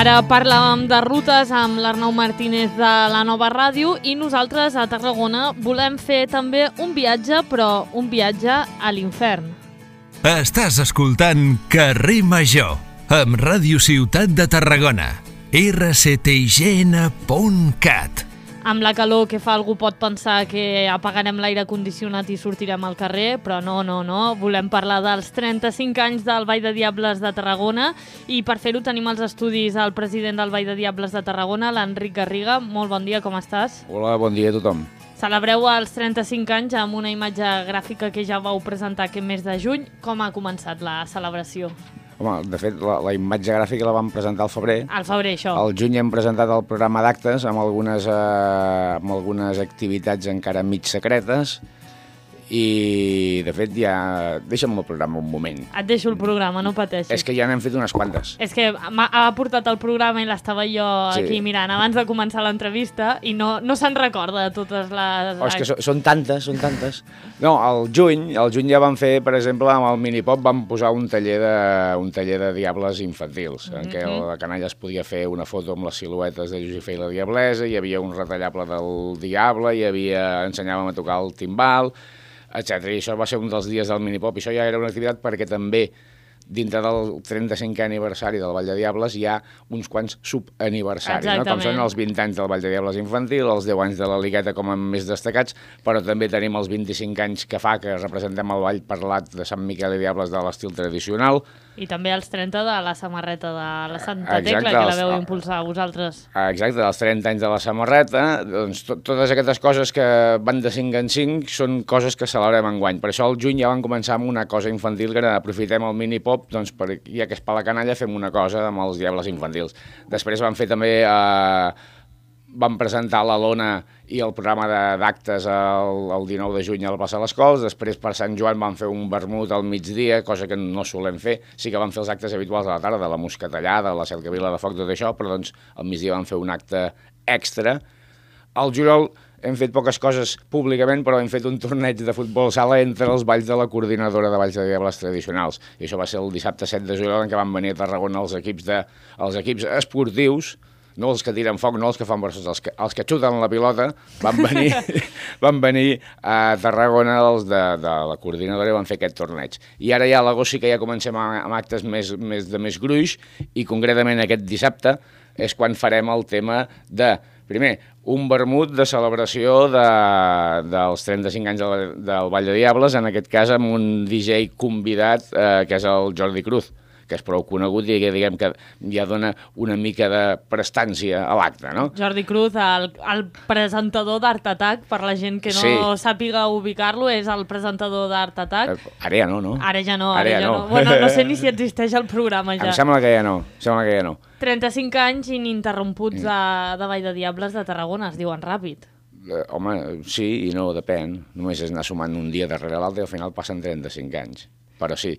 S2: Ara parlàvem de rutes amb l'Arnau Martínez de la Nova Ràdio i nosaltres a Tarragona volem fer també un viatge, però un viatge a l'infern.
S1: Estàs escoltant Carrer Major amb Ràdio Ciutat de Tarragona, erre ce te i ge ene punt cat.
S2: Amb la calor que fa, algú pot pensar que apagarem l'aire condicionat i sortirem al carrer, però no, no, no. Volem parlar dels trenta-cinc anys del Ball de Diables de Tarragona i per fer-ho tenim als estudis el president del Ball de Diables de Tarragona, l'Enric Garriga. Molt bon dia, com estàs?
S14: Hola, bon dia a tothom.
S2: Celebreu els trenta-cinc anys amb una imatge gràfica que ja vau presentar aquest mes de juny. Com ha començat la celebració?
S14: Home, de fet, la, la imatge gràfica la vam presentar al febrer.
S2: Al febrer, això.
S14: Al juny hem presentat el programa d'actes amb algunes, eh, amb algunes activitats encara mig secretes i, de fet, ja... Deixa'm el programa un moment.
S2: Et deixo el programa, no pateixis.
S14: És que ja n'hem fet unes quantes.
S2: És que ha portat el programa i l'estava jo sí. aquí mirant abans de començar l'entrevista i no, no se'n recorda de totes les...
S14: Oh, és que so, són tantes, són tantes. No, al juny, al juny ja vam fer, per exemple, amb el Minipop vam posar un taller de, un taller de diables infantils, mm-hmm. en què la canalla es podia fer una foto amb les siluetes de Josefa i la Diablesa, hi havia un retallable del Diable, hi havia, ensenyàvem a tocar el timbal, etcètera. I això va ser un dels dies del Minipop. I això ja era una activitat perquè també dintre del trenta-cinquè aniversari del Ball de Diables hi ha uns quants subaniversaris, no? Com són els vint anys del Ball de Diables infantil, els deu anys de la Ligueta com a més destacats, però també tenim els vint-i-cinc anys que fa que representem el ball parlat de Sant Miquel i Diables de l'estil tradicional.
S2: I també els trenta de la samarreta de la Santa Exacte, Tecla, que la veu els... impulsar a vosaltres.
S14: Exacte, els trenta anys de la samarreta. Doncs to totes aquestes coses que van de cinc en cinc són coses que celebrem enguany. Per això al juny ja vam començar amb una cosa infantil, que era aprofitem el Minipop, doncs per, ja que és per la canalla, fem una cosa amb els diables infantils. Després vam fer també... Eh, vam presentar la Lona i el programa d'actes el, el dinou de juny a la plaça de les Cols. Després per Sant Joan vam fer un vermut al migdia, cosa que no solem fer. Sí que vam fer els actes habituals a la tarda, de la moscatellada, la cercavila de foc, tot això, però doncs al migdia vam fer un acte extra. Al juliol hem fet poques coses públicament, però hem fet un torneig de futbol sala entre els balls de la coordinadora de balls de diables tradicionals. I això va ser el dissabte set de juliol, en què van venir a Tarragona els equips, de, els equips esportius, no els que tiren foc, no els que fan versos, els que, els que xuten la pilota, van venir, van venir a Tarragona els de, de la coordinadora i van fer aquest torneig. I ara ja a l'agost sí que ja comencem amb actes més, més de més gruix i concretament aquest dissabte és quan farem el tema de, primer, un vermut de celebració de, dels trenta-cinc anys del, del Ball de Diables, en aquest cas amb un D J convidat eh, que és el Jordi Cruz, que és prou conegut i que diguem que ja dona una mica de prestància a l'acte, no?
S2: Jordi Cruz, el, el presentador d'Art Attack, per la gent que no sí. sàpiga ubicar-lo, és el presentador d'Art Attack.
S14: Ara ja no, no?
S2: Ara ja no, ara, ara ja, ja no. no. Bueno, no sé ni si existeix el programa ja.
S14: Em sembla que ja no, em sembla que ja no.
S2: trenta-cinc anys ininterromputs de, de Ball de Diables de Tarragona, es diuen ràpid.
S14: Eh, home, sí i no, depèn. Només és anar sumant un dia darrere l'altre i al final passen trenta-cinc anys. Però sí,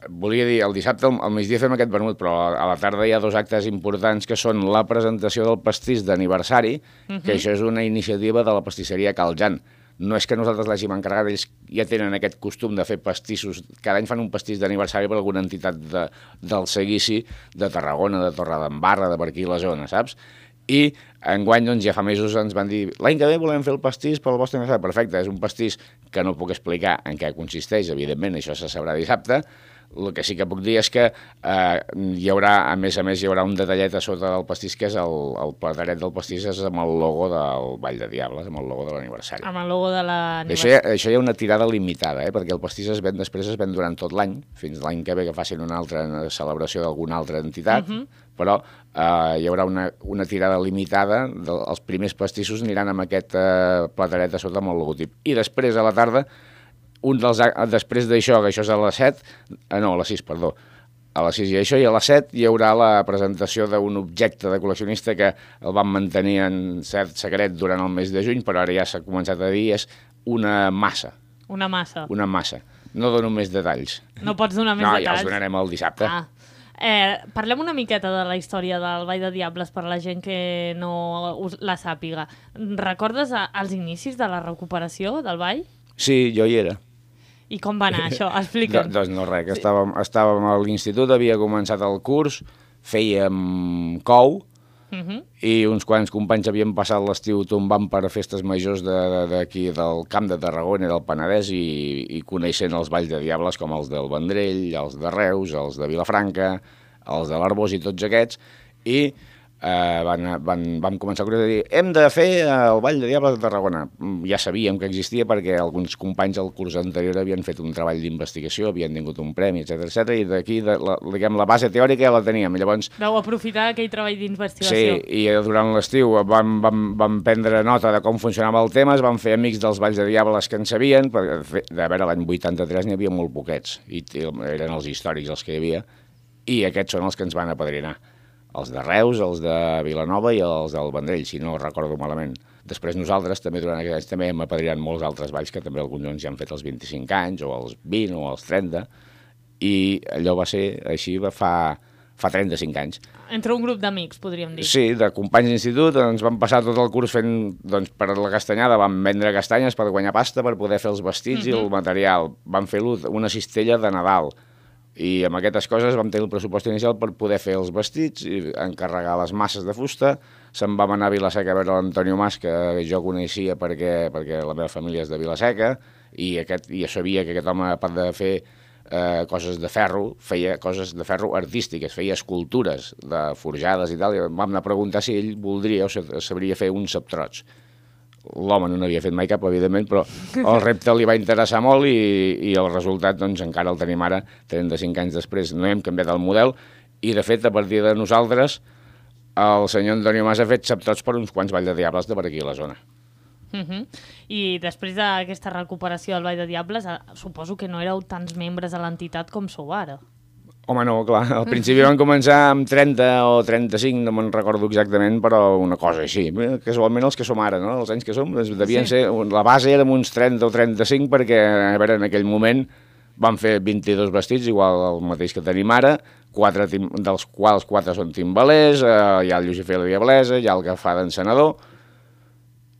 S14: volia dir, el dissabte al migdia fem aquest vermut, però a la tarda hi ha dos actes importants que són la presentació del pastís d'aniversari, uh-huh. que això és una iniciativa de la pastisseria Cal Jan. No és que nosaltres l'hàgim encarregat, ells ja tenen aquest costum de fer pastissos. Cada any fan un pastís d'aniversari per alguna entitat de, del seguici de Tarragona, de Torredembarra, de per aquí la zona, saps? I enguany, doncs, ja fa mesos ens van dir l'any que ve volem fer el pastís pel vostre aniversari. Perfecte, és un pastís que no puc explicar en què consisteix, evidentment, això se sabrà dissabte. El que sí que puc dir és que eh, hi haurà, a més a més, hi haurà un detallet a sota del pastís, que és el, el plataret del pastís és amb el logo del Ball de Diables, amb el logo de l'aniversari.
S2: Amb el logo de l'aniversari.
S14: Això, ja, això hi ha una tirada limitada, eh, perquè el pastís es ven després, es ven durant tot l'any, fins l'any que ve que facin una altra celebració d'alguna altra entitat, uh-huh. però eh, hi haurà una, una tirada limitada, de, els primers pastissos aniran amb aquest eh, plataret a sota amb el logotip. I després, a la tarda, un dels, després d'això, que això és a les set, eh, no, a les sis, perdó, a les sis i això, i a les set hi haurà la presentació d'un objecte de col·leccionista que el vam mantenir en cert secret durant el mes de juny, però ara ja s'ha començat a dir, és una massa.
S2: Una massa.
S14: Una massa. No dono més detalls.
S2: No pots donar més
S14: no,
S2: detalls?
S14: No, ja els donarem el dissabte.
S2: Ah. Eh, parlem una miqueta de la història del Ball de Diables per la gent que no la sàpiga. Recordes els inicis de la recuperació del ball?
S14: Sí, jo hi era.
S2: I com va anar això? Explica'm.
S14: Doncs no res, que estàvem, estàvem a l'institut, havia començat el curs, fèiem cou,
S2: Uh -huh.
S14: i uns quants companys havien passat l'estiu tombant per festes majors d'aquí de, de, del Camp de Tarragona i del Penedès i, i coneixent els balls de diables com els del Vendrell, els de Reus, els de Vilafranca, els de l'Arbós i tots aquests, i eh, van, van, vam començar a dir hem de fer el Ball de Diables de Tarragona. Ja sabíem que existia perquè alguns companys del curs anterior havien fet un treball d'investigació, havien tingut un premi, etcètera etcètera, i d'aquí la, diguem, la base teòrica ja la teníem. Llavors,
S2: vau aprofitar aquell treball d'investigació.
S14: Sí, i durant l'estiu vam, vam, vam prendre nota de com funcionava el tema, es van fer amics dels Balls de Diables que en sabien, perquè de veure, l'any vuitanta-tres n'hi havia molt poquets, i eren els històrics els que hi havia, i aquests són els que ens van apadrinar. Els de Reus, els de Vilanova i els del Vendrell, si no recordo malament. Després nosaltres, també durant aquests anys, també hem apadrinat molts altres balls que també alguns ja han fet els vint-i-cinc anys, o els vint, o els trenta, i allò va ser així fa, fa trenta-cinc anys.
S2: Entre un grup d'amics, podríem dir.
S14: Sí, de companys d'institut, ens vam passar tot el curs fent, doncs, per la castanyada, vam vendre castanyes per guanyar pasta, per poder fer els vestits uh-huh. i el material. Vam fer una cistella de Nadal, i amb aquestes coses vam tenir el pressupost inicial per poder fer els vestits i encarregar les masses de fusta. Se'n vam anar a Vilaseca a veure l'Antonio Mas, que jo coneixia perquè, perquè la meva família és de Vilaseca, i, aquest, i jo sabia que aquest home, a part de fer eh, coses de ferro, feia coses de ferro artístiques, feia escultures de forjades i tal, i vam anar a preguntar si ell voldria o sabria fer uns ceptrots. L'home no n'havia fet mai cap, evidentment, però el repte li va interessar molt i, i el resultat doncs, encara el tenim ara, trenta-cinc anys després. No hem canviat el model i, de fet, a partir de nosaltres, el senyor Antonio Mas ha fet ceptrots per uns quants Balls de Diables de per aquí a la zona.
S2: Uh -huh. I després d'aquesta recuperació del Ball de Diables, suposo que no éreu tants membres a l'entitat com sou ara.
S14: Home, no, clar. Al principi van començar amb trenta o trenta-cinc, no me'n recordo exactament, però una cosa així. Casualment els que som ara, no? Els anys que som, devien sí. ser... La base era uns trenta o trenta-cinc perquè, a veure, en aquell moment van fer vint-i-dos vestits, igual el mateix que tenim ara, quatre tim, dels quals quatre són timbalers, eh, hi ha el Lucifer la Diablesa, hi ha el que fa d'encenedor,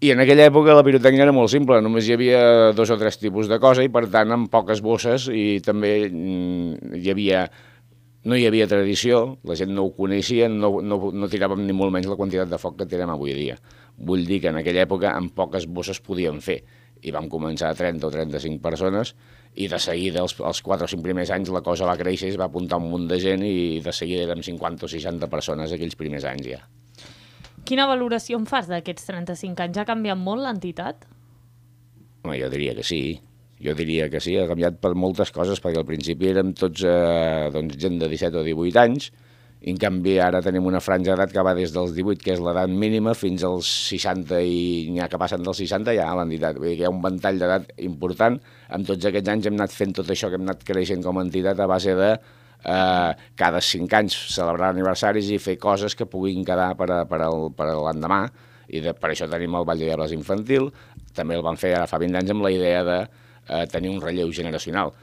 S14: i en aquella època la pirotècnia era molt simple, només hi havia dos o tres tipus de cosa i, per tant, amb poques bosses, i també mm, hi havia... No hi havia tradició, la gent no ho coneixia, no, no, no tiràvem ni molt menys la quantitat de foc que tirem avui dia. Vull dir que en aquella època amb poques bosses podíem fer, i vam començar a trenta o trenta-cinc persones, i de seguida, els, els quatre o cinc primers anys, la cosa va créixer, es va apuntar un munt de gent, i de seguida érem cinquanta o seixanta persones aquells primers anys ja.
S2: Quina valoració en fas d'aquests trenta-cinc anys? Ha canviat molt l'entitat?
S14: Home, jo diria que sí. Jo diria que sí, ha canviat per moltes coses, perquè al principi érem tots eh, doncs, gent de disset o divuit anys, i en canvi ara tenim una franja d'edat que va des dels divuit, que és l'edat mínima, fins als seixanta, i n'hi ha que passen dels seixanta ja a l'entitat. Vull dir que hi ha un ventall d'edat important. En tots aquests anys hem anat fent tot això, que hem anat creixent com a entitat a base de eh, cada cinc anys celebrar aniversaris i fer coses que puguin quedar per, a, per, al, per a l'endemà, i de, per això tenim el Ball de Diables infantil. També el vam fer ara fa vint anys amb la idea de eh, tenir un relleu generacional.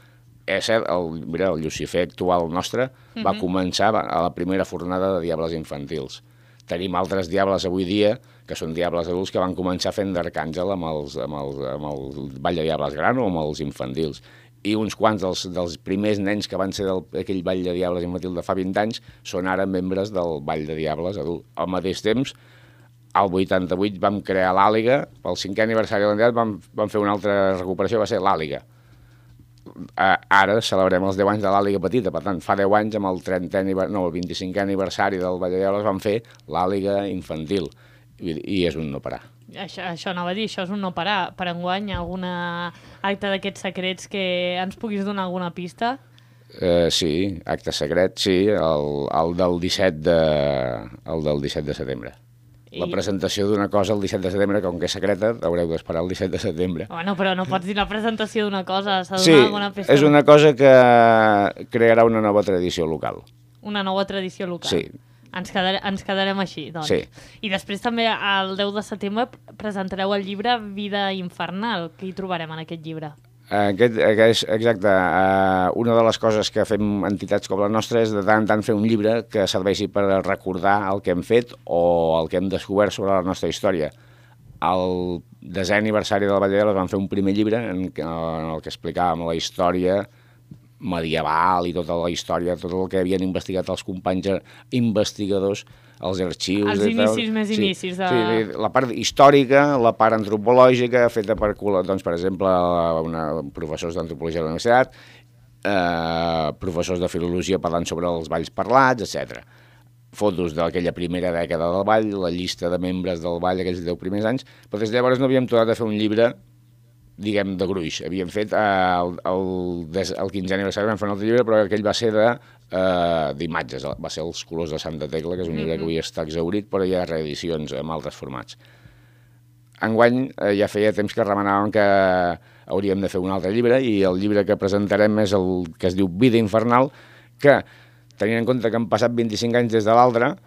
S14: És cert, el, mira, el Lucifer actual nostre uh-huh. va començar a la primera fornada de diables infantils. Tenim altres diables avui dia, que són diables adults, que van començar fent d'arcàngel amb, els, amb, els, amb el Ball de Diables gran o amb els infantils. I uns quants dels, dels primers nens que van ser d'aquell Ball de Diables infantil de fa vint anys són ara membres del Ball de Diables adult. Al mateix temps, al vuitanta-vuit vam crear l'Àliga, pel cinquè aniversari de l'entitat vam, vam fer una altra recuperació, va ser l'Àliga. Ara celebrem els deu anys de l'Àliga petita, per tant, fa deu anys, amb el trentè, no, el vint-i-cinquè aniversari del Ball de Diables vam fer l'Àliga infantil, i, i és un no parar.
S2: Això, això anava a dir, això és un no parar. Per enguany, alguna acte d'aquests secrets que ens puguis donar alguna pista?
S14: Uh, sí, acte secret, sí, el, el del disset de, el del disset de setembre. La presentació d'una cosa el disset de setembre, com que és secreta, haureu d'esperar el disset de setembre.
S2: Bueno, però no pots dir la presentació d'una cosa, s'ha de
S14: sí,
S2: donar alguna pista.
S14: És una cosa que crearà una nova tradició local.
S2: Una nova tradició local.
S14: Sí.
S2: Ens, quedare, ens quedarem així, doncs.
S14: Sí.
S2: I després també, el deu de setembre, presentareu el llibre Vida Infernal. Què hi trobarem en aquest llibre?
S14: Aquest, aquest, exacte. Uh, una de les coses que fem entitats com la nostra és de tant en tant fer un llibre que serveixi per recordar el que hem fet o el que hem descobert sobre la nostra història. Al desè aniversari de la Ball de Diables vam fer un primer llibre en, en el que explicàvem la història medieval i tota la història, tot el que havien investigat els companys investigadors, els arxius...
S2: Els inicis més
S14: sí,
S2: inicis. De...
S14: Sí, la part històrica, la part antropològica, feta per, doncs, per exemple, una, professors d'antropologia de la universitat, eh, professors de filologia parlant sobre els balls parlats, etcètera. Fotos d'aquella primera dècada del ball, la llista de membres del ball aquells deu primers anys, però des de llavors no havíem tornat a fer un llibre, diguem, de gruix. Havíem fet eh, el, el, el quinzè aniversari, vam fer un altre llibre, però aquell va ser de eh, d'imatges, va ser Els colors de Santa Tecla, que és un llibre que avui està exhaurit, però hi ha reedicions amb altres formats. Enguany eh, ja feia temps que remenàvem que hauríem de fer un altre llibre, i el llibre que presentarem és el que es diu Vida infernal, que tenint en compte que han passat vint-i-cinc anys des de l'altre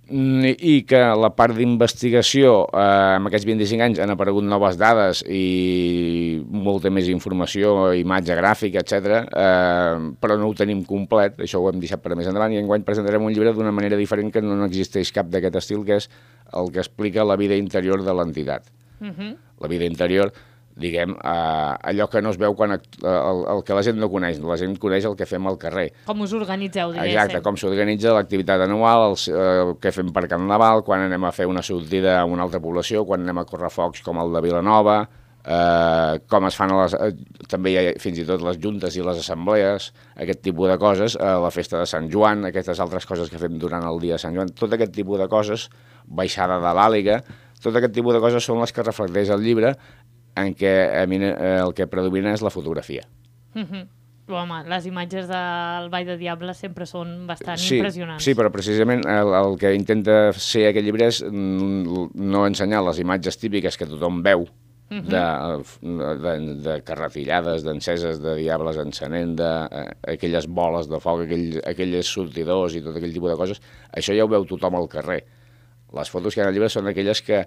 S14: i que la part d'investigació eh, en aquests vint-i-cinc anys han aparegut noves dades i molta més informació, imatge gràfica, etcètera, eh, però no ho tenim complet, això ho hem deixat per més endavant, i enguany presentarem un llibre d'una manera diferent, que no existeix cap d'aquest estil, que és el que explica la vida interior de l'entitat.
S2: Uh-huh.
S14: La vida interior, diguem, eh, allò que no es veu quan act... el, el que la gent no coneix, la gent coneix el que fem al carrer.
S2: Com us organitzeu, diguéssim.
S14: Exacte, com s'organitza l'activitat anual, els, eh, què fem per Carnaval, quan anem a fer una sortida a una altra població, quan anem a córrer focs com el de Vilanova, eh, com es fan, a les, eh, també hi ha fins i tot les juntes i les assemblees, aquest tipus de coses, eh, la festa de Sant Joan, aquestes altres coses que fem durant el dia de Sant Joan, tot aquest tipus de coses, baixada de l'Àliga, tot aquest tipus de coses són les que reflecteix el llibre, en què el que predomina és la fotografia.
S2: Uh-huh. Home, les imatges del Ball de Diables sempre són bastant
S14: sí,
S2: impressionants.
S14: Sí, però precisament el, el que intenta ser aquest llibre és no ensenyar les imatges típiques que tothom veu, uh-huh. de, de, de carretillades, d'enceses, de diables encenent, d'aquelles boles de foc, aquell, aquells sortidors i tot aquell tipus de coses. Això ja ho veu tothom al carrer. Les fotos que hi ha al llibre són aquelles que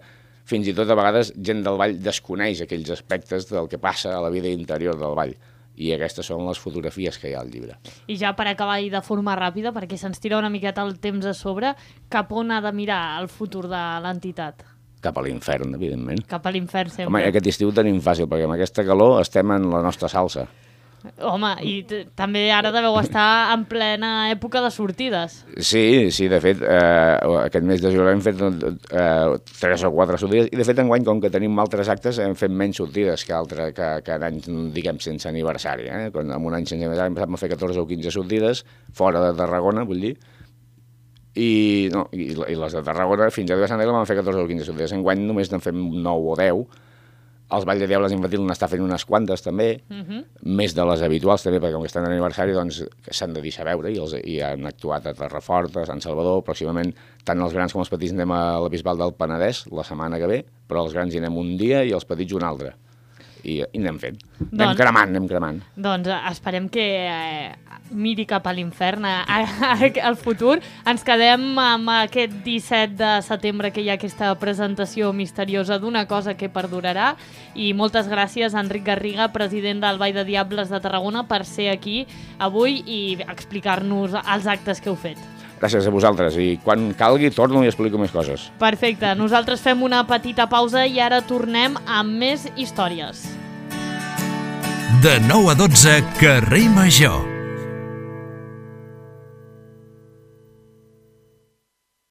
S14: fins i tot a vegades gent del ball desconeix aquells aspectes del que passa a la vida interior del ball. I aquestes són les fotografies que hi ha al llibre.
S2: I ja per acabar i de forma ràpida, perquè se'ns tira una miqueta el temps a sobre, cap on ha de mirar el futur de l'entitat?
S14: Cap a l'infern, evidentment.
S2: Cap a l'infern sempre.
S14: Home, aquest estiu tenim fàcil, perquè amb aquesta calor estem en la nostra salsa.
S2: Home, i també ara deveu estar en plena època de sortides.
S14: Sí, sí, de fet, eh, aquest mes de juliol hem fet eh, tres o quatre sortides, i de fet enguany, com que tenim altres actes, hem fet menys sortides que, altre, que, que en anys, diguem, sense aniversari. Eh? Quan, en un any sense aniversari hem passat a fer catorze o quinze sortides, fora de Tarragona, vull dir, i, no, i, i les de Tarragona, fins a Déu de Sant Egla vam fer catorze o quinze sortides. Enguany només n'en fem nou o deu. Els Ball de Diables infantil n'està fent unes quantes, també, uh-huh. més de les habituals, també, perquè com que estan d'aniversari, doncs s'han de deixar veure, i, els, i han actuat a Terrafort, a Sant Salvador, pròximament, tant els grans com els petits anem a la Bisbal del Penedès la setmana que ve, però els grans hi anem un dia i els petits un altre. I, i anem fent. Doncs, anem cremant, anem cremant.
S2: Doncs esperem que eh, miri cap a l'infern al futur. Ens quedem amb aquest disset de setembre, que hi ha aquesta presentació misteriosa d'una cosa que perdurarà, i moltes gràcies a Enric Garriga, president del Ball de Diables de Tarragona, per ser aquí avui i explicar-nos els actes que heu fet.
S14: Gràcies a vosaltres, i quan calgui torno i explico més coses.
S2: Perfecte, nosaltres fem una petita pausa i ara tornem amb més històries.
S1: De nou a dotze, Carrer Major.